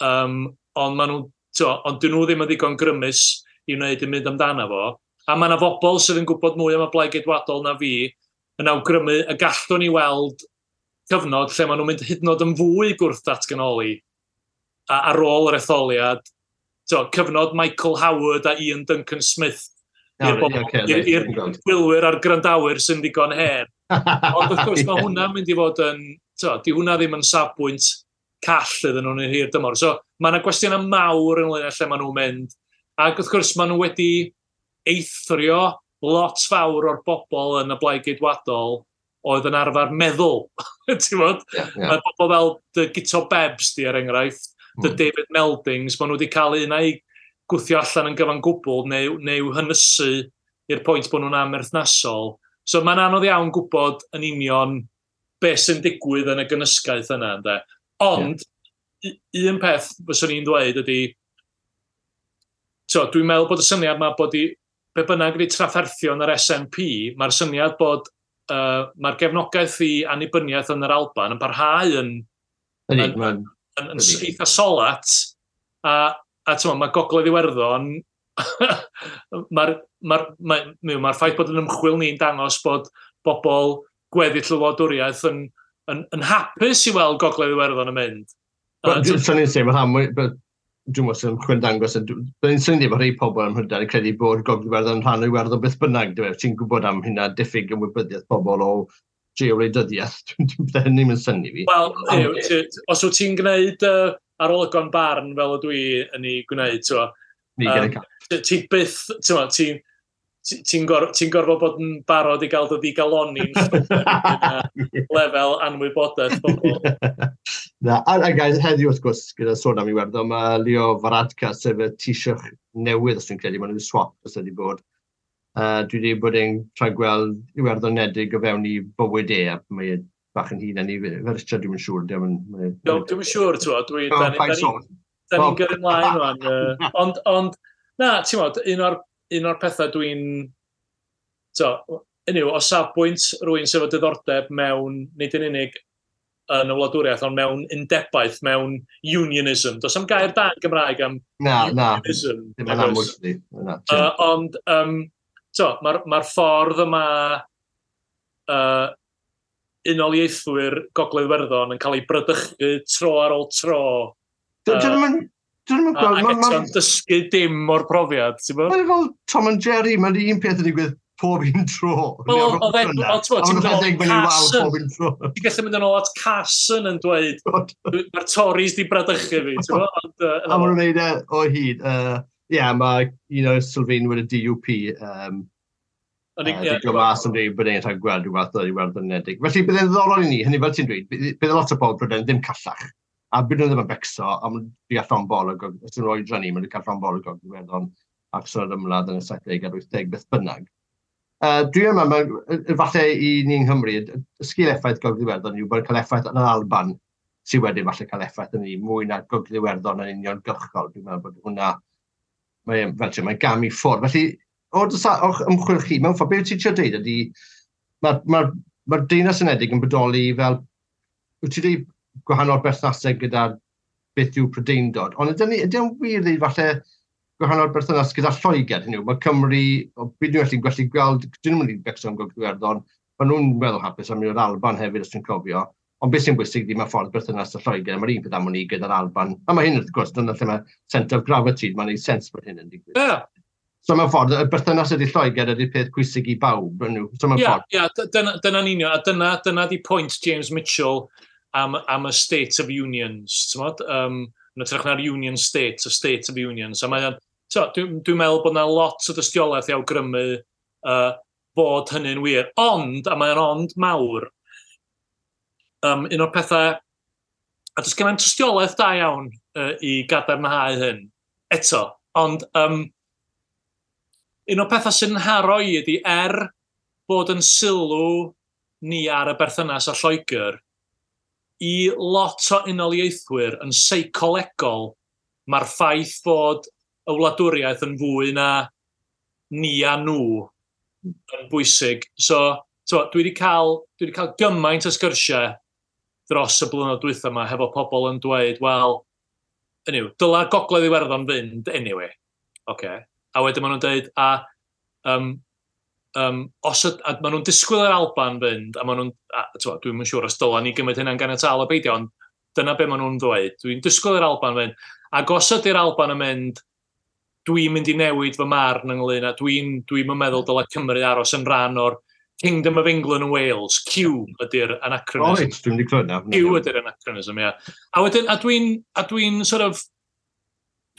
ond maen nhw, ond dyn nhw ddim yn ddigon grymus i wneud yn mynd amdano fo. A mae yna bobl sydd yn gwybod mwy am y Blaid Geidwadol na fi yn awgrymu y gallwn ni weld cyfnod lle maen nhw'n mynd hyd yn oed yn fwy gwrth datganoli ar ôl yr etholiad. Cyfnod Michael Howard a Ian Duncan Smith i'r gwylwyr a'r gwrandawyr sy'n ddigon hen. Ond wrth gwrs mae hwnna'n mynd i fod yn, to, di hwnna ddim yn safbwynt call iddyn nhw'n hir dymor. So mae yna gwestiynau mawr ynglyn â lle maen nhw'n mynd. Ac wrth gwrs maen nhw wedi eithrio lot fawr o'r bobl yn y Blaid Geidwadol oedd yn arfer meddwl. Ti'n bod? Yeah. Mae bobl fel dy Guto Bebs di, er enghraifft, dy David Meldings, maen nhw wedi cael un a'i gwthio allan yn gyfan gwbl neu hynysu i'r pwynt bod nhw'n amherthnasol. So mae'n anodd iawn gwybod yn union beth sy'n digwydd yn y gynysgaeth yna. Ynde? Ond, un peth fyswn i'n dweud ydy, so, dwi'n meddwl bod y syniad yma bod i, be bynnag ydy trafferthion yr SNP, mae'r syniad bod mae'r gefnogaeth i annibyniaeth yn yr Alban yn parhau yn eitha solat, a ti'n mae Gogledd Iwerddon, mae'r ma ffaith bod yn ymchwil ni'n dangos bod bobl gweddill y wladwriaeth yn hapus i weld Gogledd Iwerddon yn mynd. Swn i'n sef, dwi'n meddwl sy'n ymchwil dangos, byddai'n syni bod rhai pobl ym Mhrydain yn credu bod Gogledd Iwerddon yn rhan o Iwerddon beth bynnag, ti'n gwybod am hynna, diffyg ymwybyddiaeth pobl o geowleidyddiaeth, bydde hynny'n mynd synnu fi. Wel, os wyt ti'n gwneud arolygon barn fel ydw i yn ei gwneud, ti byth, ti'n gorfod bod yn barod i gael dy ddigaloni'n lefel anwybodaeth bobl. Na, a guys, heddiw wrth gwrs, gyda sôn am Iwerddon, mae Leo Varadkar, sef y Taoiseach newydd, os dwi'n credu, maen nhw'n swap os ydy bod. Dwi wedi bod yn try gweld Iwerddon nedig o fewn i bywyd e, a mae e bach yn hun i fe Richard, dwi'n siŵr. Dwi'n siŵr, ti'n da ni'n gyrru ymlaen rwan. Ond, na, ti'n bod, un o'r pethau dwi'n... So, anyway, o safbwynt rwy'n sef o diddordeb mewn, nid yn unig yn y wladwriaeth, ond mewn undebaeth, mewn unionism. Does am gair da yn Gymraeg am unionism. Na, ddim yn amlwg. Ond, so, mae'r ffordd yma unoliaethwyr Gogledd Iwerddon yn cael ei brydychu tro ar ôl tro. Dwi'n gweld... Ac eto'n dysgu dim o'r profiad, ti'n bod? Mae'n fel Tom and Jerry, mae'n un peth yn digwydd pob un tro. Wel, oedd e, ti'n mynd Carson. Ti'n gallu mynd yn ôl at Carson yn dweud, mae'r Tories di bradychu fi, ti'n bod? A maen nhw'n neud e o hyd. Ie, mae un o'r sylfaenwyr y DUP, Dwi'n mas yn dweud bod e'n rhaid gweld rhywbeth o'r Iwerddon Unedig. Felly bydd e'n ddiddorol i ni, hynny fel ti'n dweud, bydd lot o bobl Prydain ddim callach. A bydd nhw ddim yn becso, a maen nhw'n cael llond bol o os yw'n oedran ni, maen nhw'n cael llond bol o Gogledd Iwerddon ac sy'n ymladd yn y 70 a'r 80 beth bynnag. Dwi'n meddwl, falle i ni yng Nghymru, y sgil effaith Gogledd Iwerddon yw bod yn cael effaith yn yr Alban, sydd wedyn falle cael effaith yn ni mwy na Gogledd Iwerddon yn uniongyrchol. Dwi'n meddwl bod hwnna, mae'n gam i ffwrdd. Felly, o'ch ymchwil chi, mewn ffordd, beth ti'n trio dweud ydy, mae'r Deyrnas Unedig yn bodoli fel, wyt ti'n dweud gwahanol berthnasau gyda beth yw Prydeindod, ond ydy o'n wir dweud falle gwahanol berthynas gyda Lloegr, hynny yw, mae Cymru, byd nhw'n gallu gweld, dyn nhw'n mynd i becso am Gogledd Iwerddon, maen nhw'n meddwl hapus am i'r Alban hefyd, os ti'n cofio, ond beth sy'n bwysig ydy mae ffordd berthynas â Lloegr, mae'r un peth am wn i gyda'r Alban, a mae hyn wrth gwrs, dyna lle mae centre of gravity, mae'n neud sens bod hyn yn digwydd. Yeah. So mewn ffordd, y berthynas ydy Lloegr ydy'r peth pwysig i bawb. So mewn ffordd. Ie, dyna'n union, a dyna di pwynt James Mitchell am y State of Unions, ti'n modd? Yn hytrach na'r Union State, y State of Unions. A mae, so, dwi'n meddwl bod yna lot o dystiolaeth i awgrymu bod hynny'n wir. Ond, a mae'n ond mawr, un o'r pethau, a does gen i'm tystiolaeth da iawn i gadarnhau hyn eto, ond un o'r pethau sy'n nharo i ydy bod yn sylw ni ar y berthynas â Lloegr, i lot o unoliaethwyr yn seicolegol, mae'r ffaith fod y wladwriaeth yn fwy na ni a nhw yn bwysig. So, dwi wedi cael gymaint o sgyrsiau dros y blynyddoedd dwytha yma hefo pobl yn dweud, wel, anyway, dyla Gogledd Iwerddon fynd anyway. Okay. A wedyn maen nhw'n dweud, a maen nhw'n disgwyl yr Alban fynd, a maen nhw'n, dwi'm yn siŵr os dyla ni gymryd hynna'n ganiataol o beidio, ond dyna be maen nhw'n dweud. Dwi'n disgwyl yr Alban fynd. Ac os ydy'r Alban yn mynd, dwi'n mynd i newid fy marn ynglyn â, dwi'n meddwl dyla Cymru aros yn rhan o'r Kingdom of England and Wales, Q ydy'r anachronism. O reit, dwi'n wedi clywed na. Q ydy'r anachronism, ia. A wedyn, a dwi'n, a dwi'n sort of,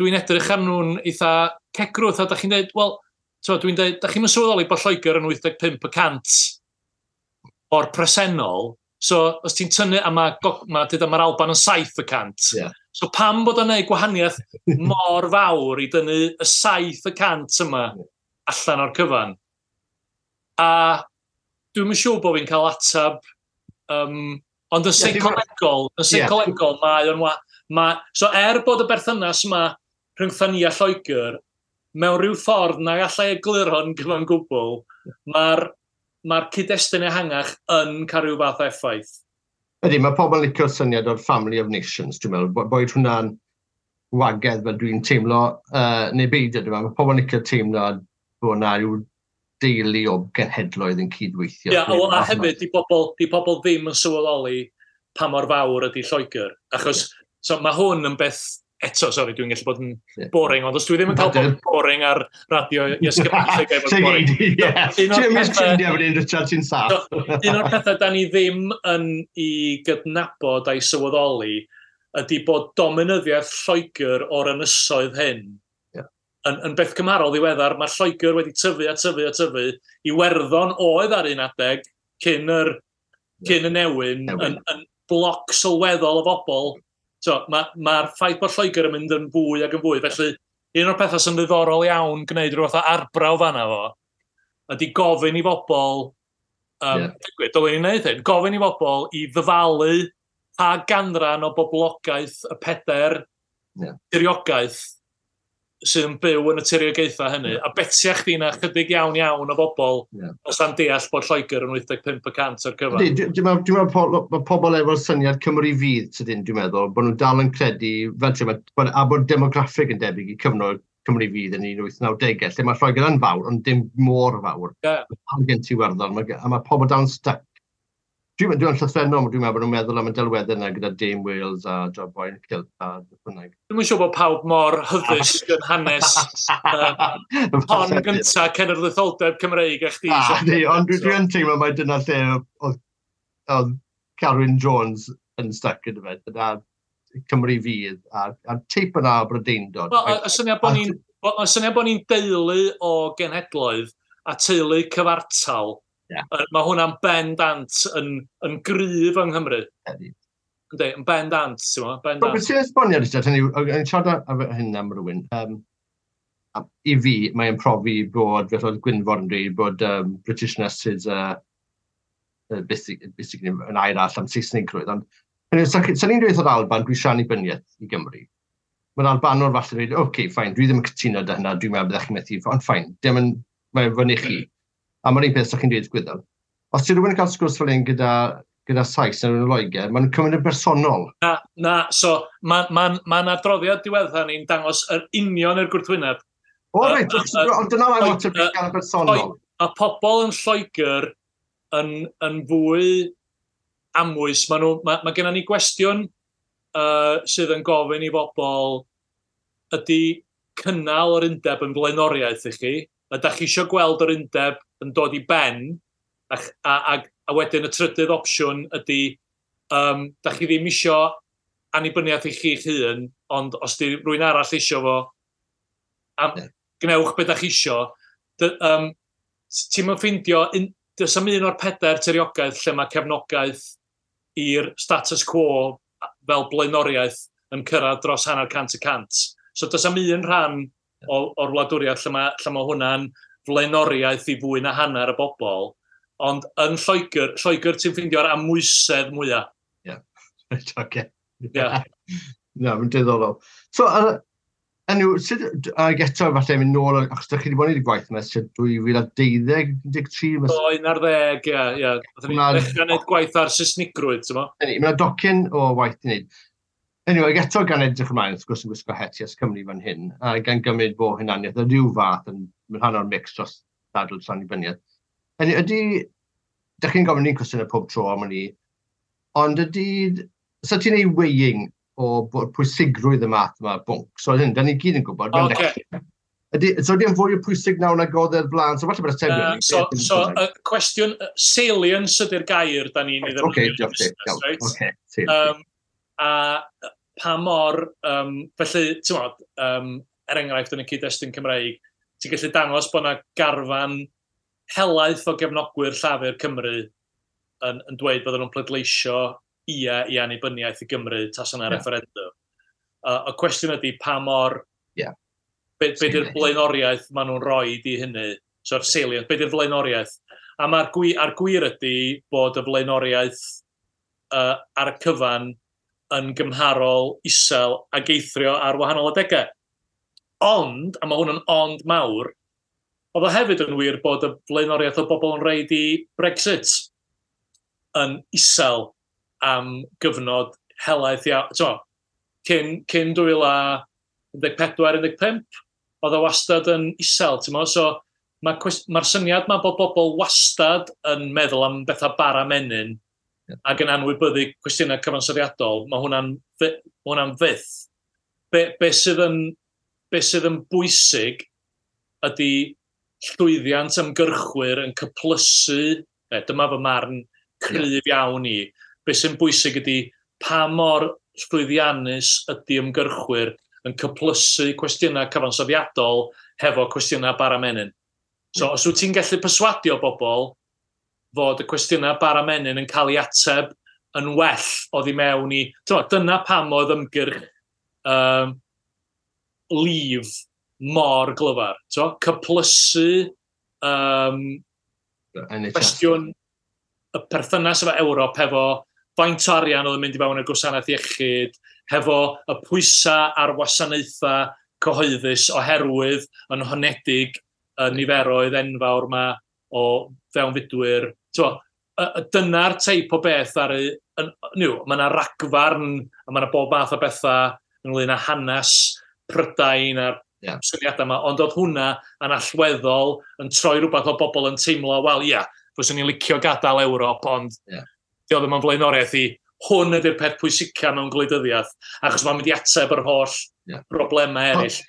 dwi'n edrych ar nhw'n eitha cegrwth, a da chi'n dweud, wel, so, dwi'n dweud, da chi'n sylweddoli bod Lloegr yn 85% o'r presennol, so os ti'n tynnu, a mae'r ma, ma Alban yn 7%, So pam bod o'n neud gwahaniaeth mor fawr i dynnu y 7% yma allan o'r cyfan? A dwi'n yn siŵr bod fi'n cael atab, ond yn seicolegol, yn seicolegol mae o'n so er bod y berthynas yma rhyngtha ni a Lloegr, mewn rhyw ffordd na allai egluro'n gyfan gwbl, mae'r ma cyd-destun ehangach yn cael rhyw fath o effaith. Ydy, mae pobl yn licio'r syniad o'r Family of Nations, dwi'n meddwl, boed hwnna'n wagedd fel dwi'n teimlo, neu beidio, dwi'n meddwl, mae pobl yn licio teimlo bod yna rhyw deulu o genhedloedd yn cydweithio. Ie, yeah, a hefyd, di pobl ddim yn sylweddoli pa mor fawr ydy Lloegr. Achos so, mae hwn yn beth, eto, sori, dwi'n gallu bod yn boring, ond os dwi ddim yn cael bod yn boring ar radio Yes Cymru, lle bod yn boring. Ti'n mis ffrindiau fan hyn, Richard, ti'n saff. Un o'r pethau da ni ddim yn i gydnabod a'i sylweddoli ydy bod dominyddiaeth Lloegr o'r ynysoedd hyn yn beth cymharol ddiweddar. Mae Lloegr wedi tyfu a tyfu a tyfu. Iwerddon oedd ar un adeg cyn y newyn, yn bloc sylweddol o bobl. So, mae'r ffaith bod Lloegr yn mynd yn fwy ac yn fwy. Felly, un o'r pethau sy'n ddiddorol iawn gwneud rhyw fath o arbrawf fanna fo, ydy gofyn i bobl, dylwn ni'n gwneud hyn, gofyn i bobl i ddyfalu pa ganran o boblogaeth y pedair tiriogaeth sydd yn byw yn y tiriogaethau hynny, a betia chdi na chydig iawn iawn o bobl os am deall bod Lloegr yn 85% o'r cyfan. Dwi'n meddwl mae pobl efo'r syniad Cymru fydd, sydyn, dwi'n meddwl, bod nhw'n dal yn credu, fel ti'n meddwl, a bod demograffig yn debyg i cyfnod Cymru fydd yn 1890au, lle mae Lloegr yn fawr, ond dim mor fawr. Mae gen ti Iwerddon, a mae pobl dal yn stuck. Dwi'n llythrennol, dwi'n meddwl bod nhw'n meddwl am y delweddau yna gyda Dame Wales a Job Boy and Kilt a bynnag. Dwi'n siŵr bod pawb mor hyddysg yn hanes hon gynta cenedlaetholdeb Cymreig a chdi. Ond dwi'n teimlo mai dyna lle oedd Carwyn Jones yn stuck gyda fe, dyna Cymru fydd a'r teip yna o Brydeindod. Y syniad bod ni'n deulu o genhedloedd a teulu cyfartal. Mae hwnna'n bendant yn gryf yng Nghymru. Yndi, yn bendant, ti'n gwybod? Bendant. Beth sy'n esbonio, Richard, hynny, yn siarad am hyn am rhywun, i fi, mae'n profi bod, fel oedd Gwynfor yn dweud, bod Britishness is basically yn air arall am Saesnigrwydd. Ond, sa'n ni'n dweud o'r Alban, dwi eisiau annibyniaeth i Gymru. Mae'r Albanwr falle dweud, oce, fine, dwi ddim yn cytuno da hynna, dwi'n meddwl byddech chi'n methu, ond fine, dim yn, mae'n fyny chi. A mae'r un peth sy'ch chi'n dweud Gwyddel. Os ti rhywun yn cael sgwrs fel un gyda Sais neu yn Loegr, maen nhw'n cymryd yn bersonol. Na, so mae'n ma adroddiad diweddar ni'n dangos yr union i'r gwrthwyneb. O reit, ond dyna mae'n lot o gael yn bersonol. Mae pobl yn Lloegr yn fwy amwys. Mae gennym ni gwestiwn sydd yn gofyn i bobl ydy cynnal yr undeb yn blaenoriaeth i chi. Ydych chi eisiau gweld yr undeb yn dod i ben, a wedyn y trydydd opsiwn ydy, da chi ddim isio annibyniaeth i chi'ch hun, ond os di rhywun arall isio fo, gnewch be da chi isio. Ti'm yn ffeindio, does am un o'r pedair tiriogaeth lle mae cefnogaeth i'r status quo fel blaenoriaeth yn cyrraedd dros 100%. So does am un rhan o'r wladwriaeth lle mae hwnna'n flaenoriaeth i fwy na hanner y bobl, ond yn Lloegr ti'n ffeindio'r amwysedd mwyaf. Ie, oce. Na, mae'n diddorol. So, sut, ag eto falle mynd nôl, achos ydych chi wedi bod yn gwneud gwaith yma ers 2012, 13? O, 11, ie. Oedden ni'n dechrau gwneud gwaith ar Saesnigrwydd, ti'n mo? Mae yna docyn o waith i wneud. Anyway, eto gan edrych ymlaen, wrth gwrs yn gwisgo het Yes Cymru fan hyn, a gan gymryd bod hunaniaeth o ryw fath yn rhan o'r mix dros ddadl dros annibyniaeth. Ydy, dych chi'n gofyn ni'n cwestiynau pob tro am hynny, ond ydy, so ti'n ei weighing o pwysigrwydd y math yma bwnc? So hyn, da ni gyd yn gwybod. Okay. Ydy, so ydy yn fwy o pwysig nawr nag oedd e'r blaen? So falle bod y tebyg. So, cwestiwn, salience ydy'r gair da ni'n ei ddefnyddio. Oce, diolch ti. Right? Oce, A pa mor, felly, ti'n modd, er enghraifft yn y cyd-destun Cymreig, ti'n gallu dangos bod yna garfan helaeth o gefnogwyr Llafur Cymru yn dweud bod nhw'n pleidleisio ia i annibyniaeth i Gymru tas yna referendum. Y cwestiwn ydy pa mor... Yeah. Be di'r blaenoriaeth maen nhw'n rhoi i hynny? So'r salient, be di'r flaenoriaeth? A mae'r gwir ydy bod y flaenoriaeth ar y cyfan yn gymharol isel ac eithrio ar wahanol adegau. Ond, a mae hwn yn ond mawr, oedd o hefyd yn wir bod y flaenoriaeth o bobl yn reid i Brexit yn isel am gyfnod helaeth iawn. Cyn 2014-15, oedd o wastad yn isel, ti'n meddwl? So, mae'r syniad ma bod bobl wastad yn meddwl am bethau bara menyn ac yn anwybyddu cwestiynau cyfansoddiadol, mae hwnna'n fyth. Be sydd yn bwysig ydy llwyddiant ymgyrchwyr yn cyplysu, dyma fy marn cryf iawn i, be sy'n bwysig ydy pa mor llwyddiannus ydy ymgyrchwyr yn cyplysu cwestiynau cyfansoddiadol hefo cwestiynau bara menyn. So, os wyt ti'n gallu perswadio bobl fod y cwestiynau bara menyn yn cael ei ateb yn well oddi mewn i... Dyna pam oedd ymgyrch Leave mor glyfar. Cyplysu cwestiwn y perthynas efo Ewrop hefo faint o arian oedd yn mynd i fewn i'r gwasanaeth iechyd, hefo y pwysau ar wasanaethau cyhoeddus oherwydd yn honedig y niferoedd enfawr yma o fewnfudwyr. Dyna'r teip o beth ar y... Mae yna ragfarn a mae yna bob math o bethau ynglyn â hanes Prydain a'r syniadau yma, ond oedd hwnna yn allweddol yn troi rhywbeth o bobl yn teimlo, wel ia, fyswn i'n licio gadael Ewrop, ond dio ddim yn flaenoriaeth i hwn ydy'r peth pwysica mewn gwleidyddiaeth, achos mae'n mynd i ateb yr holl broblemau eraill.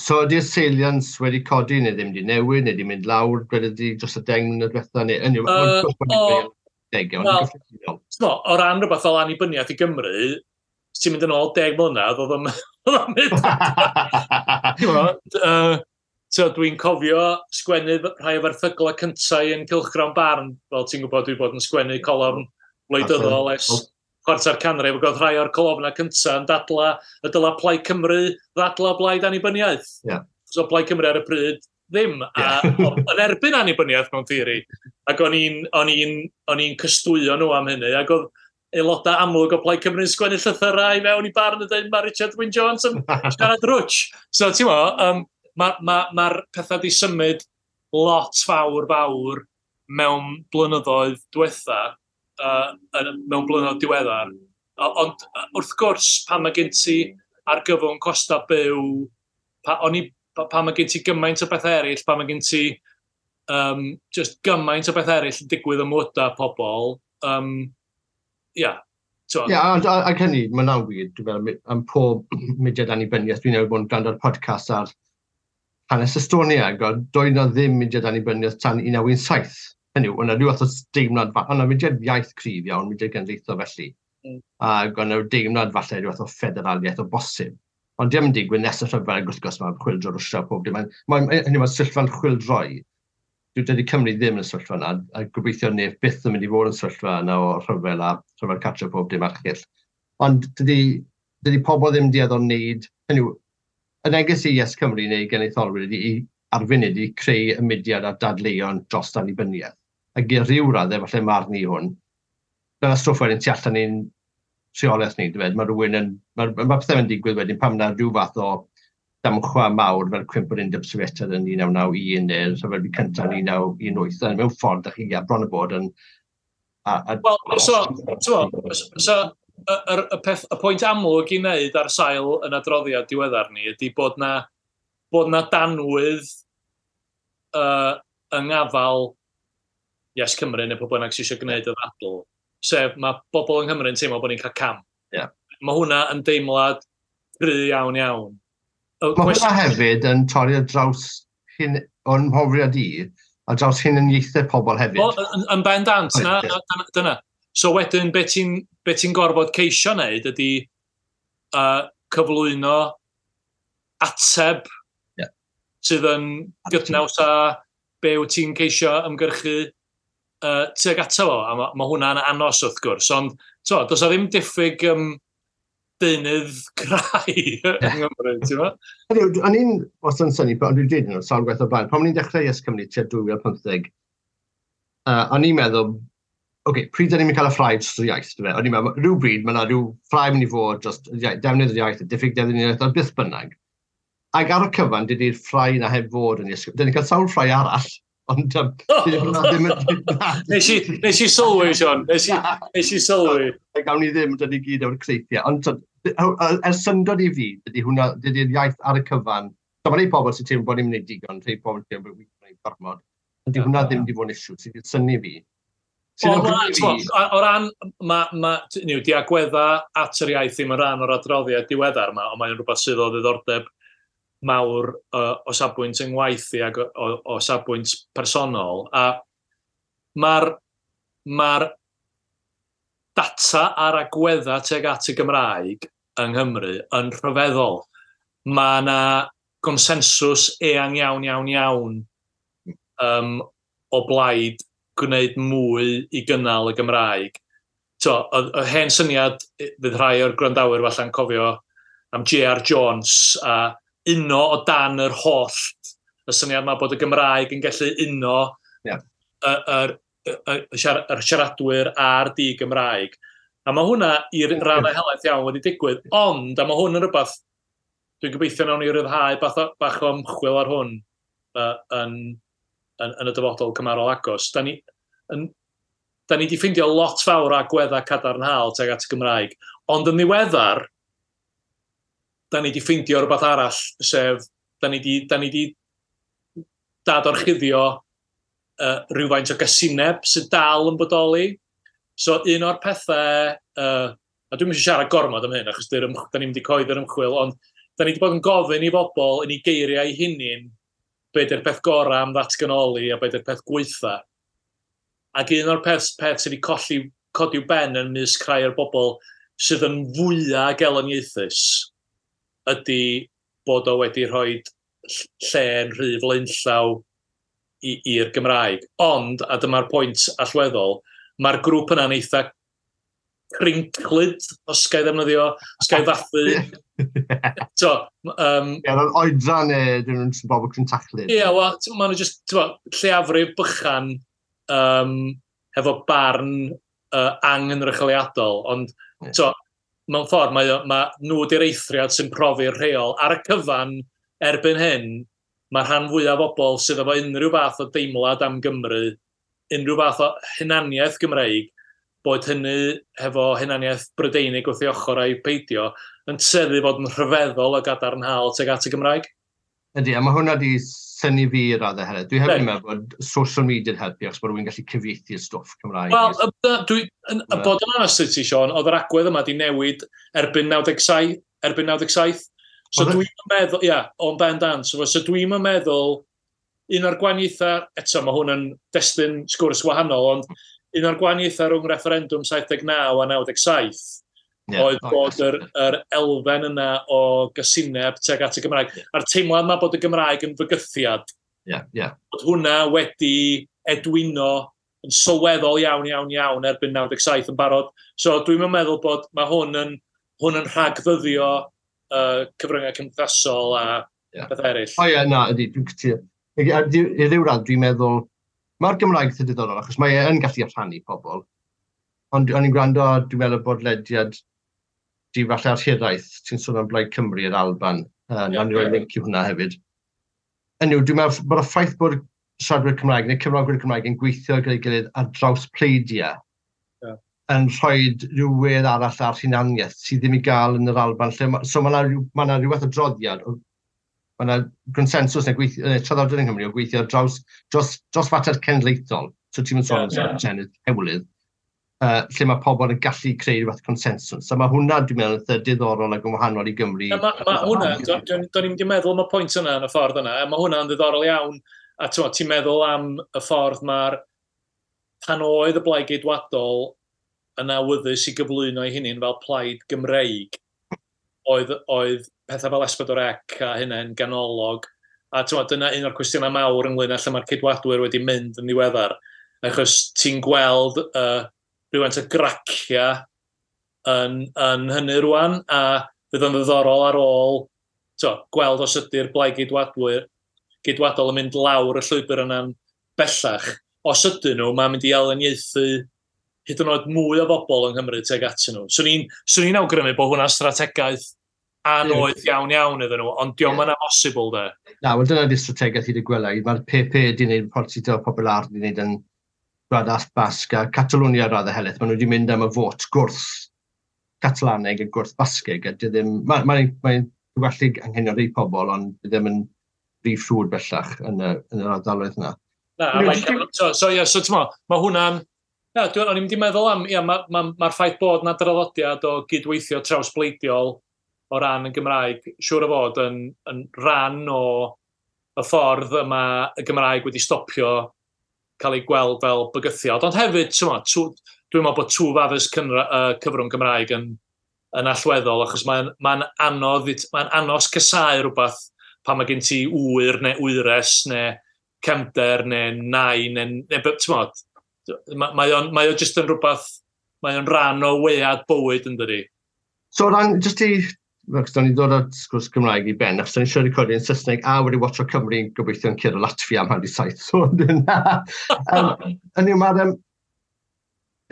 So ydy'r salience wedi codi neu ddim wedi newid, neu wedi mynd lawr, gwed ydy dros y 10 mlynedd diwetha, neu o ran rhywbeth fel annibyniaeth i Gymru, ti'n mynd yn ôl 10 mlynedd, oedd o'n mynd. Dwi'n cofio sgwennu rhai o'r erthyglau cyntaf yn Cylchgrawn Barn, fel ti'n gwybod, dwi bod yn sgwennu colofn wleidyddol ers chwarter canrif, ac oedd rhai o'r colofnau cyntaf yn dadla y dyla Plaid Cymru ddadla blaid annibyniaeth. So Plaid Cymru ar y pryd ddim, a yn erbyn annibyniaeth mewn theori. Ac o'n i'n cystwyo nhw am hynny, ac oedd aelodau amlwg o Plaid Cymru'n sgwennu llythyrau i mewn i Barn yn dweud mae Richard Wyn Jones yn siarad rwtsh. So ti'n mo, mae'r pethau di symud lot fawr fawr mewn blynyddoedd diwetha, mewn blynyddoedd diweddar. Ond wrth gwrs, pan mae gen ti argyfwng costau byw, pan mae gen ti gymaint o bethau eraill, pan mae gen ti just gymaint o bethau eraill yn digwydd ym mywydau pobl, Ie, ac hynny, mae'n awr wir, dwi'n meddwl, am pob mudiad annibyniaeth, dwi'n newydd bod yn gwrando ar podcast ar hanes Estonia, ac doedd na ddim mudiad annibyniaeth tan 1917. Hynny yw, o'na rhyw fath o deimlad, o'na mudiad iaith cryf iawn, mudiad genedlaethol felly, ac o'na deimlad falle rhyw fath o ffederaliaeth o bosib. Ond diom yn digwydd nes y rhyfel, wrth gwrs mae chwyldro Rwsia pob dim. Hynny mae sefyllfa'n chwyldroi. Dydy Cymru ddim yn y sefyllfa yna, a gobeithio neb byth yn mynd i fod yn sefyllfa yna o rhyfel a rhyfel cartre pob dim archill. Ond dydy pobl ddim dueddol wneud, hynny yw, y neges i Yes Cymru neu genedlaetholwyr ydy i ar funud i creu y mudiad a dadleuon dros annibyniaeth. Ac i ryw raddau, falle marn i hwn, dyna stwff wedyn tu allan i'n rheolaeth ni, dweud, mae rhywun yn, mae pethau yn digwydd wedyn pan yna rhyw fath o damchwa mawr fel cwymp yr Undeb Sofietaidd yn 1991 neu'r rhyfel byd cyntaf yn 1918, mewn ffordd da chi bron y bod yn... Wel, so, y pwynt amlwg i wneud ar sail yn adroddiad diweddar ni ydy bod na danwydd yng ngafal Yes Cymru neu pobl bynnag sydd eisiau gwneud y ddadl, sef mae bobl yng Nghymru yn teimlo bod ni'n cael cam. Yeah. Mae hwnna yn deimlad cry iawn iawn. Mae hwnna hefyd yn torri ar draws hyn, o'n mhrofiad i, ar draws hunaniaethau pobl hefyd. O, yn bendant, na, dyna. So wedyn, be ti'n ti gorfod ceisio wneud ydy cyflwyno ateb sydd yn gydnaws â be wyt ti'n ceisio ymgyrchu tuag ato fo, a ma hwnna'n anos wrth gwrs, ond to, does 'na ddim diffyg deunydd crai yng Nghymru, ti'n mo? O'n i'n wastad yn synnu, ond dwi'n dweud nhw, sawl gwaith o blaen, pan o'n i'n dechrau Yes Cymru tua 2015, o'n i'n meddwl, oce, okay, pryd da ni'n mynd cael y ffrae dros yr iaith, dwi'n O'n i'n meddwl, rhyw bryd, mae yna rhyw ffrae mynd i fod dros defnydd yr iaith, y diffyg defnydd yr iaith, a byth bynnag. Ac ar y cyfan, dydy'r ffrae na heb fod yn Yes Cymru. Dyn ni'n cael sawl ffrae arall, ond ddim yn. Nes i sylwi, Sion. Nes i sylwi. Gawn ni ddim, dyn ni gyd o'r creithiau. Ond er syndod i fi, dydy hwnna, dydy'r iaith ar y cyfan. So mae rhai pobl sy'n teimlo bod ni'n gwneud digon, rhai pobl sy'n teimlo bod ni'n gwneud gormod. Ond dydy hwnna ddim wedi bod yn issue sydd wedi synnu fi. O ran, ma, niw, di agwedda at yr iaith ddim yn rhan o'r adroddiad diweddar yma, ond mae'n rhywbeth sydd o ddiddordeb mawr o safbwynt yng ngwaith i ac o safbwynt personol. A mae'r ma data ar agwedda tuag at y Gymraeg yng Nghymru yn rhyfeddol. Mae yna gonsensws eang iawn, iawn, iawn o blaid gwneud mwy i gynnal y Gymraeg. To, y hen syniad, fydd rhai o'r gwrandawyr falle'n cofio am J.R. Jones a uno o dan yr hollt. Y syniad yma bod y Gymraeg yn gallu uno yr siaradwyr a'r di-Gymraeg. A mae hwnna i'r raddau helaeth iawn wedi digwydd, ond, a mae hwn yn rhywbeth, dwi'n gobeithio nawn ni ryddhau bach o ymchwil ar hwn yn y dyfodol cymharol agos. Da ni wedi ffeindio lot fawr o agweddau cadarnhaol tuag at y Gymraeg, ond yn ddiweddar, da ni wedi ffeindio rhywbeth arall, sef, da ni wedi dadorchuddio rhywfaint o gasineb sydd dal yn bodoli. So un o'r pethau, a dwi'n eisiau siarad gormod am hyn, achos da ni'n mynd i coedd yr ymchwil, ond da ni wedi bod yn gofyn i bobl yn ei geiriau hunain be di'r peth gorau am ddatganoli a be di'r peth gweitha. Ac un o'r peth sydd wedi codi ben yn mysg rhai o'r bobl sydd yn fwyaf gelyniaethus ydy bod o wedi rhoi lle'n rhy flaenllaw i'r Gymraeg. Ond, a dyma'r pwynt allweddol, mae'r grŵp yna'n eitha crinclyd, os ga i ddefnyddio, os ga i ddathu. So, Ie, yr oedran neu dyn nhw'n bobl crintachlyd. Ie, wel, maen nhw just, lleafrif bychan hefo barn angynrychioliadol, ond so, mewn ffordd, mae nhw di'r eithriad sy'n profi'r rheol. Ar y cyfan, erbyn hyn, mae rhan fwyaf o bobl sydd efo unrhyw fath o deimlad am Gymru, unrhyw fath o hunaniaeth Gymreig, bod hynny hefo hunaniaeth Brydeinig wrth ei ochr a'i peidio, yn tueddu fod yn rhyfeddol o gadarnhaol tuag at y Gymraeg. Ydy, a mae hwnna wedi synnu fi i raddau hefyd. Dwi hefyd yn meddwl bod social media yn helpu, achos bod rhywun gallu cyfieithu'r stwff Cymraeg. Wel, bod yn onest i ti, Siôn, oedd yr agwedd yma wedi newid erbyn 97, erbyn 97. So dwi'n meddwl, ia, o'n bendant. So dwi'n meddwl, un o'r gwahaniaethau, eto mae hwn yn destun sgwrs wahanol, ond un o'r gwahaniaethau rhwng referendum 79 a 97 oedd bod yr elfen yna o gysineb tuag at y Gymraeg. A'r teimlad yma bod y Gymraeg yn fygythiad. Bod hwnna wedi edwino yn sylweddol iawn, iawn, iawn erbyn 97 yn barod. So dwi'n meddwl bod mae hwn yn rhagddyddio cyfryngau cymdeithasol a beth eraill. O ie, na, ydy, dwi'n cytuno. I ryw radd, dwi'n meddwl, mae'r Gymraeg yn diddorol, achos mae e yn gallu rhannu pobl. Ond o'n i'n gwrando, dwi'n meddwl bod lediad di falle ar Hiraeth, ti'n sôn am Blaid Cymru yr Alban. Nawn ni roi link i hwnna hefyd. Anyway, dwi'n meddwl bod y ffaith bod siaradwyr Cymraeg neu cyfrogwyr Cymraeg yn gweithio gyda'i gilydd ar draws pleidiau yn rhoi rhyw wedd arall ar hunaniaeth sydd ddim i gael yn yr Alban. Lle so mae yna rhyw fath o droddiad, mae yna gonsensws neu traddodiad yng Nghymru o gweithio ar draws, dros fater cenedlaethol. So ti'n mynd sôn am senedd hewlydd. Lle mae pobl yn gallu creu rhywbeth consensws. So mae hwnna, dwi'n meddwl, yn diddorol ac yn wahanol i Gymru. Mae hwnna, do'n i'n mynd i meddwl am y pwynt yna yn y ffordd yna, mae hwnna'n ddiddorol iawn. A ti'n meddwl am y ffordd mae'r pan oedd y Blaid Geidwadol yn awyddus i gyflwyno ei hunain fel plaid Gymreig, oedd pethau fel S4C a hynny'n ganolog. A dyna un o'r cwestiynau mawr ynglyn â lle mae'r Ceidwadwyr wedi mynd yn ddiweddar. Achos ti'n gweld rhywfaint o gracia yn hynny rwan, a fydd yn ddiddorol ar ôl gweld os ydy'r Blaid Geidwadol yn mynd lawr y llwybr yna'n bellach. Os ydyn nhw, mae'n mynd i aliniaethu hyd yn oed mwy o bobl yng Nghymru tuag atyn nhw. Swn i'n awgrymu bod hwnna'n strategaeth anodd iawn iawn iddyn nhw, ond dio'm yn amhosibl de. Na, wel dyna di strategaeth i dy gwela. Mae'r PP di wneud Partido Popular di wneud yn Gwlad Basg a Catalonia raddau helaeth. Maen nhw wedi mynd am y fot gwrth Catalaneg a gwrth Basgeg. A di ddim, mae'n mae gwellu anghenion rhai pobl, ond di ddim yn brif ffrwd bellach yn yr ardaloedd yna. Na, so, yeah, so mae hwnna'n. Na, o'n i'n mynd i meddwl am, ia, mae'r ma ffaith bod na draddodiad o gydweithio trawsbleidiol o ran y Gymraeg, siŵr o fod yn rhan o y ffordd yma y Gymraeg wedi stopio cael ei gweld fel bygythiad. Ond hefyd, dwi'n meddwl bod twf addysg cyfrwng Gymraeg yn allweddol, achos mae'n anodd, mae'n anos casáu rhywbeth pan mae gen ti ŵyr neu wyres neu cefnder neu nain neu ti'n mae o jyst yn rhywbeth, mae o'n rhan o wead bywyd yn dydi. So ran, jyst i, achos da ni'n dod at sgwrs Gymraeg i ben, achos da ni'n siarad recordio yn Saesneg a wedi watcho Cymru yn gobeithio'n curo Latvia am 6:30. So, hynny yw, mae'r...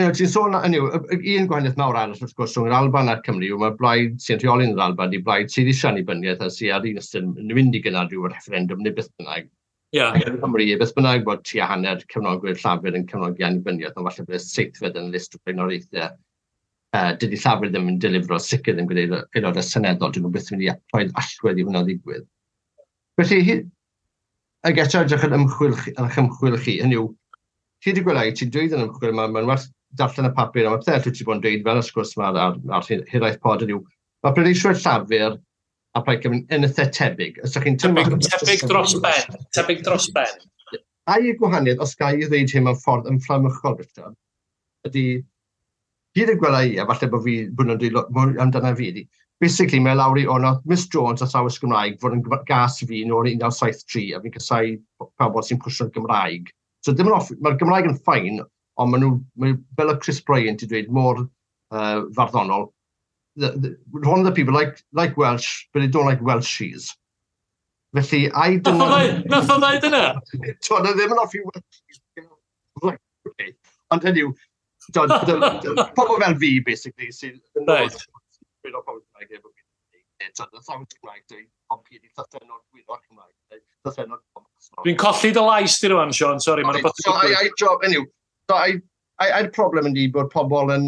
ti'n sôn, hynny yw, un gwahaniaeth mawr arall wrth gwrs rhwng yr Alban a'r Cymru yw mae'r blaid sy'n rheoli yn yr Alban di blaid sydd eisiau annibyniaeth a sydd ar un ystyr yn mynd i gynnal rhyw referendum neu beth bynnag. Ac yn Cymru, beth bynnag bod tua hanner cefnogwyr Llafur yn cefnogi annibyniaeth, ond falle bod y seithfed yn y list o blaenoriaethau. Dydy Llafur ddim yn delifro, sicr ddim gyda aelodau seneddol, dyn nhw byth yn mynd i rhoi allwedd i hwnna ddigwydd. Felly, ag eto edrych yn ymchwil, ar eich ymchwil chi, hynny yw, chi wedi gweld, ti'n dweud yn ymchwil, mae'n werth darllen y papur, a mae pethau ti bod yn dweud fel y sgwrs yma ar Hiraeth Pod yw, mae pleidleiswyr Llafur a Plaid Cymru yn eitha tebyg. Os ydych chi'n Tebyg, tebyg dros ben. Tebyg dros ben. Ai y gwahaniaeth, os ga i ddweud hyn mewn ffordd ymfflamychol, Richard, ydy, hyd y gwela i, a falle bod fi, bod nhw'n dweud mwy amdano fi, ydy, basically mae lawr i o, nath Miss Jones athrawes Gymraeg fod yn gas i fi nôl yn 1973, a fi'n casáu pobl sy'n pwsio'r Gymraeg. So dim yn off, mae'r Gymraeg yn fine, ond maen nhw, mae, fel y Chris Bryant i dweud, mor farddonol, one of the people like Welsh, but they don't like Welshies. Felly, ai dyna. Nath o ddeud yna? T'wod, ddim yn hoffi Welshies. Right, okay. Ond hynny yw, t'wod, pobl fel fi, basically, sy'n Gwyddor pobl Cymraeg efo fi. T'wod, y thawt Cymraeg, dweud, ond fi wedi llythrennol gwyddor Cymraeg, neu llythrennol. Dwi'n colli dy lais di rwan, Sean, sori, mae'n rhywbeth. So, I job, anyway, so, ai'r problem yndi bod pobl yn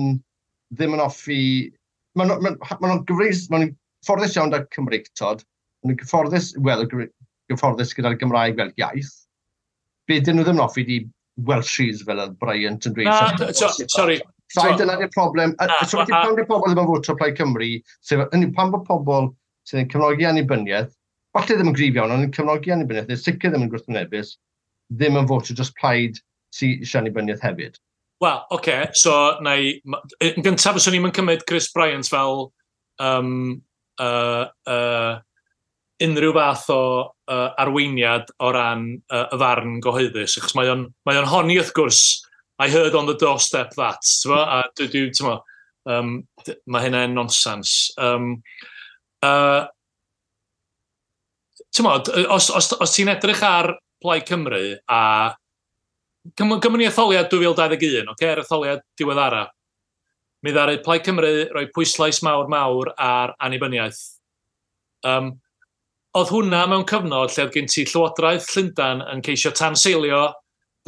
ddim yn hoffi. Maen nhw'n gyfreis, maen nhw'n gyfforddus iawn 'da Cymreictod, maen nhw'n gyfforddus, wel, gyfforddus gyda'r Gymraeg fel iaith. Be dyn nhw ddim yn hoffi di Welshies fel oedd Bryant yn dweud. Na, so, sorry. So, dyna di'r problem. So, pam di pobl ddim yn fotio Plaid Cymru, sef, hynny, pam bod pobl sydd yn cefnogi annibyniaeth, falle ddim yn gryf iawn, ond yn cefnogi annibyniaeth, neu sicr ddim yn gwrthwynebus, ddim yn fotio dros plaid sydd eisiau annibyniaeth hefyd? Wel, okay, okay, so na i. Yn gyntaf, fyswn i'n cymryd Chris Bryant fel unrhyw fath o arweiniad o ran y farn gyhoeddus, achos mae o'n honni wrth gwrs, "I heard on the doorstep that", t'mo? A dwi, t'mo, mae hynna'n nonsens. T'mo, os ti'n edrych ar Plaid Cymru a gymryd ni etholiad 2021, okay, yr etholiad diweddara, mi ddaru Plaid Cymru roi pwyslais mawr mawr ar annibyniaeth. Oedd hwnna mewn cyfnod lle oedd gen ti Llywodraeth Llundain yn ceisio tanseilio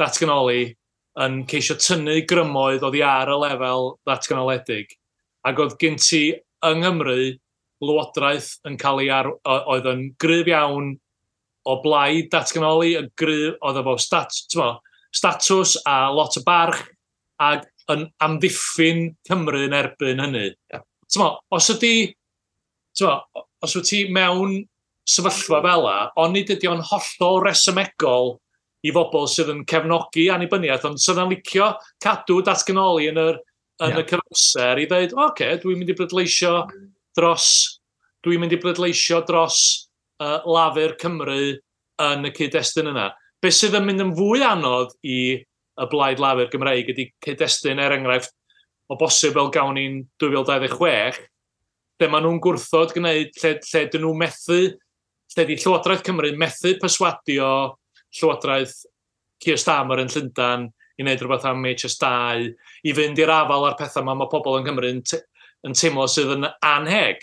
datganoli, yn ceisio tynnu grymoedd oddi ar y lefel ddatganoledig. Ac oedd gen ti yng Nghymru lywodraeth yn cael ei ar, oedd yn gryf iawn o blaid datganoli, yn gryf, oedd efo statws a lot o barch, ac yn amddiffyn Cymru yn erbyn hynny. Yeah. T'mo, os ydy, t'mo, os wyt ti mewn sefyllfa fel 'a, onid ydy o'n hollol resymegol i bobl sydd yn cefnogi annibyniaeth, ond sydd yn licio cadw datganoli yn y cyfamser i ddweud, "Oce, okay, dwi'n mynd i bleidleisio dros Lafur Cymru yn y cyd-destun yna." Be sydd yn mynd yn fwy anodd i y Blaid Lafur Gymreig ydy cyd-destun, er enghraifft, o bosib fel gawn ni'n 2026, lle maen nhw'n gwrthod gwneud, lle dyn nhw methu, lle di Llywodraeth Cymru methu perswadio Llywodraeth Keir Starmer yn Llundain i wneud rhywbeth am HS2, i fynd i'r afael â'r pethau ma mae pobl yng Nghymru yn teimlo sydd yn anheg.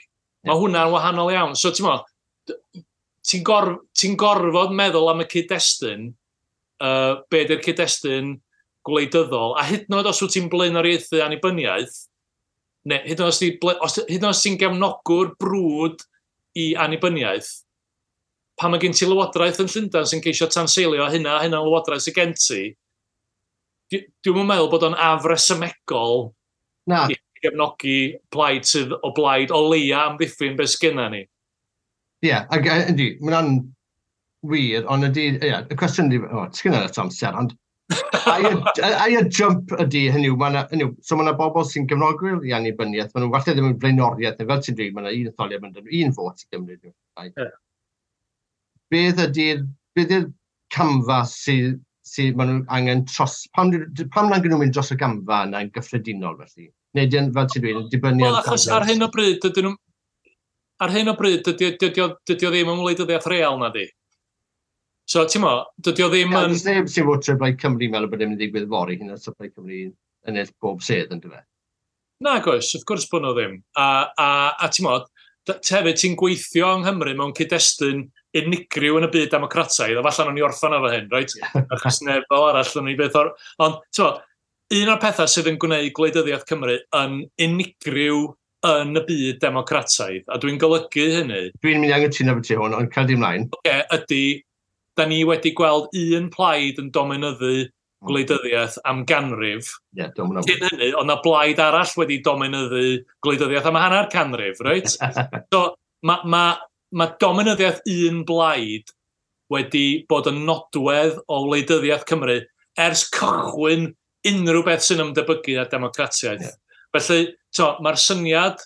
Mae hwnna'n wahanol iawn. So, ti'n mo, ti gorfod meddwl am y cyd-destun, be di'r cyd-destun gwleidyddol, a hyd yn oed os wyt ti'n blaenoriaethu annibyniaeth, neu hyd yn oed os ti'n gefnogwr brwd i annibyniaeth, pan mae gen ti lywodraeth yn Llundain sy'n ceisio tanseilio hynna, hynna'n lywodraeth sy'n gen ti, dwi'n meddwl bod o'n afresymegol Na. i gefnogi plaid sydd o blaid o leia amddiffyn beth sgynna ni. Ie, yeah, ac ydy, mae hwnna'n wir, ond ydy, ie, yeah, y cwestiwn ydy, o, sgynna lot o amser, ond ai y jump ydy, hynny yw, hynny yw, so mae yna bobl sy'n gefnogwyr i annibyniaeth, maen nhw falle ddim yn blaenoriaeth, neu fel ti'n dweud, mae yna un etholiad, mae'n un fot i Gymru. Yeah. Beth ydy'r camfa sydd maen nhw angen dros, pam nag nhw'n mynd dros y gamfa yna yn gyffredinol felly? Neu dyn, fel ti'n dweud, yn dibynnu Wel, achos ar hyn o bryd, dydyn nhw... Ar hyn o bryd, dydy o ddim yn wleidyddiaeth real na di. So, ti'n mo, dydy o ddim yn. Does neb sy'n votio Blaid Cymru meddwl bod ddim yn digwydd fory, hyn os Plaid Cymru ennill bob sedd yn dweud. Na, oes, wrth gwrs bod nhw ddim. A ti'n mo, hefyd ti'n gweithio yng Nghymru mewn cyd-destun unigryw yn y byd democrataidd, a falle nawn ni orffan efo hyn, reit? Achos neb fel arall yn ni beth o'r. Ond, ti'n mo, un o'r pethau sydd yn gwneud gwleidyddiaeth Cymru yn unigryw yn y byd democrataidd, a dwi'n golygu hynny, Dwi'n mynd i angytuno efo ti hwn, ond cael di ymlaen. Oce, ydy, da ni wedi gweld un plaid yn dominyddu gwleidyddiaeth am ganrif. Ie, yeah, dwi'n Cyn hynny, oedd na blaid arall wedi dominyddu gwleidyddiaeth am hanner canrif, reit? So, ma dominyddiaeth un blaid wedi bod yn nodwedd o wleidyddiaeth Cymru ers cychwyn unrhyw beth sy'n ymdebygu ar democratiaeth. Felly, to, mae'r syniad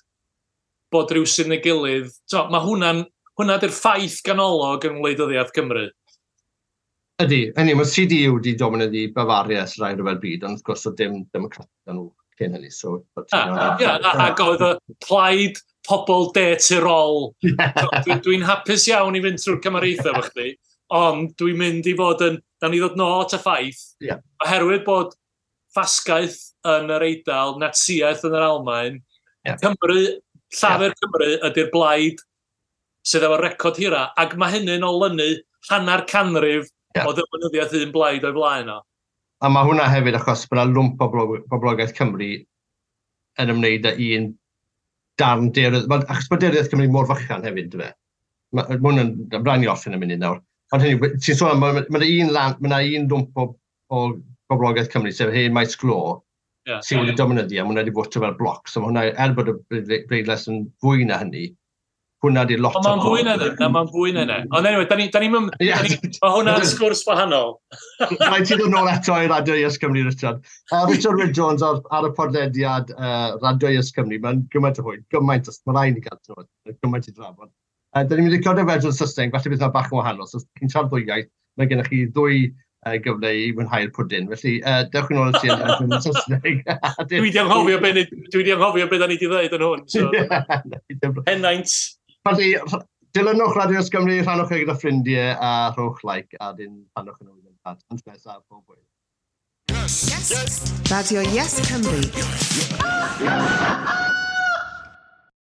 bod rhyw sy'n ei gilydd, to, mae hwnna di'r ffaith ganolog yng ngwleidyddiaeth Cymru. Ydy, hynny, mae CDU wedi dominyddu Bavaria ers Ail Ryfel Byd, ond wrth gwrs oedd dim democrat nhw cyn hynny, so. Ia, ac oedd y plaid pobl de Tirol. Dwi'n dwi hapus iawn i fynd trwy'r cymariaethau efo chdi, ond dwi'n mynd i fod yn. Da ni ddod nôl at y ffaith, oherwydd bod ffasgaeth yn yr Eidal, Natsiaeth yn yr Almaen, Cymru, Llafur Cymru ydy'r blaid sydd efo record hira, ac mae hynny'n olynu hanner canrif o ddominyddiaeth un blaid o'i flaen o. A mae hwnna hefyd achos bod yna lwmp o boblogaeth Cymru yn ymwneud â un darn daearydd. Achos mae daearyddiaeth Cymru mor fychan hefyd, dyfe. Mae hwnna'n rhaid ni orffen y munud nawr. Ond hynny, ti'n sôn am, mae un lwmp o boblogaeth Cymru, sef hen maes glo, sydd wedi dominyddu, a mae hwnna wedi fotio fel bloc. So mae hwnna, er bod y bleidlais yn fwy na hynny, hwnna di lot Ond mae'n fwy na hynny, na, mae'n fwy na hynny. Ond anyway, da ni, mae hwnna'n sgwrs wahanol. Rhaid ti ddod nôl eto i Radio Yes Cymru, Richard. Richard Wyn Jones ar y podlediad Radio Yes Cymru. Mae'n gymaint o hwyl, gymaint, mae rhaid ni gael trwy, gymaint i drafod. Da ni'n mynd i recordio fersiwn Saesneg, falle bydd yna bach yn wahanol. So, os chi'n siarad ddwy iaith, mae gennych chi ddwy gyfle i mwynhau'r pwdin. Felly, dewch yn ôl i ti yn Saesneg. Dwi di anghofio be da ni di ddweud yn hwn. So. Henaint. Felly, dilynwch Radio Yes Cymru, rhannwch e gyda ffrindiau a rhowch like a dyn rhannwch yn ôl yn Tan nesaf, pob hwyl. Yes. Yes. Radio Yes Cymru.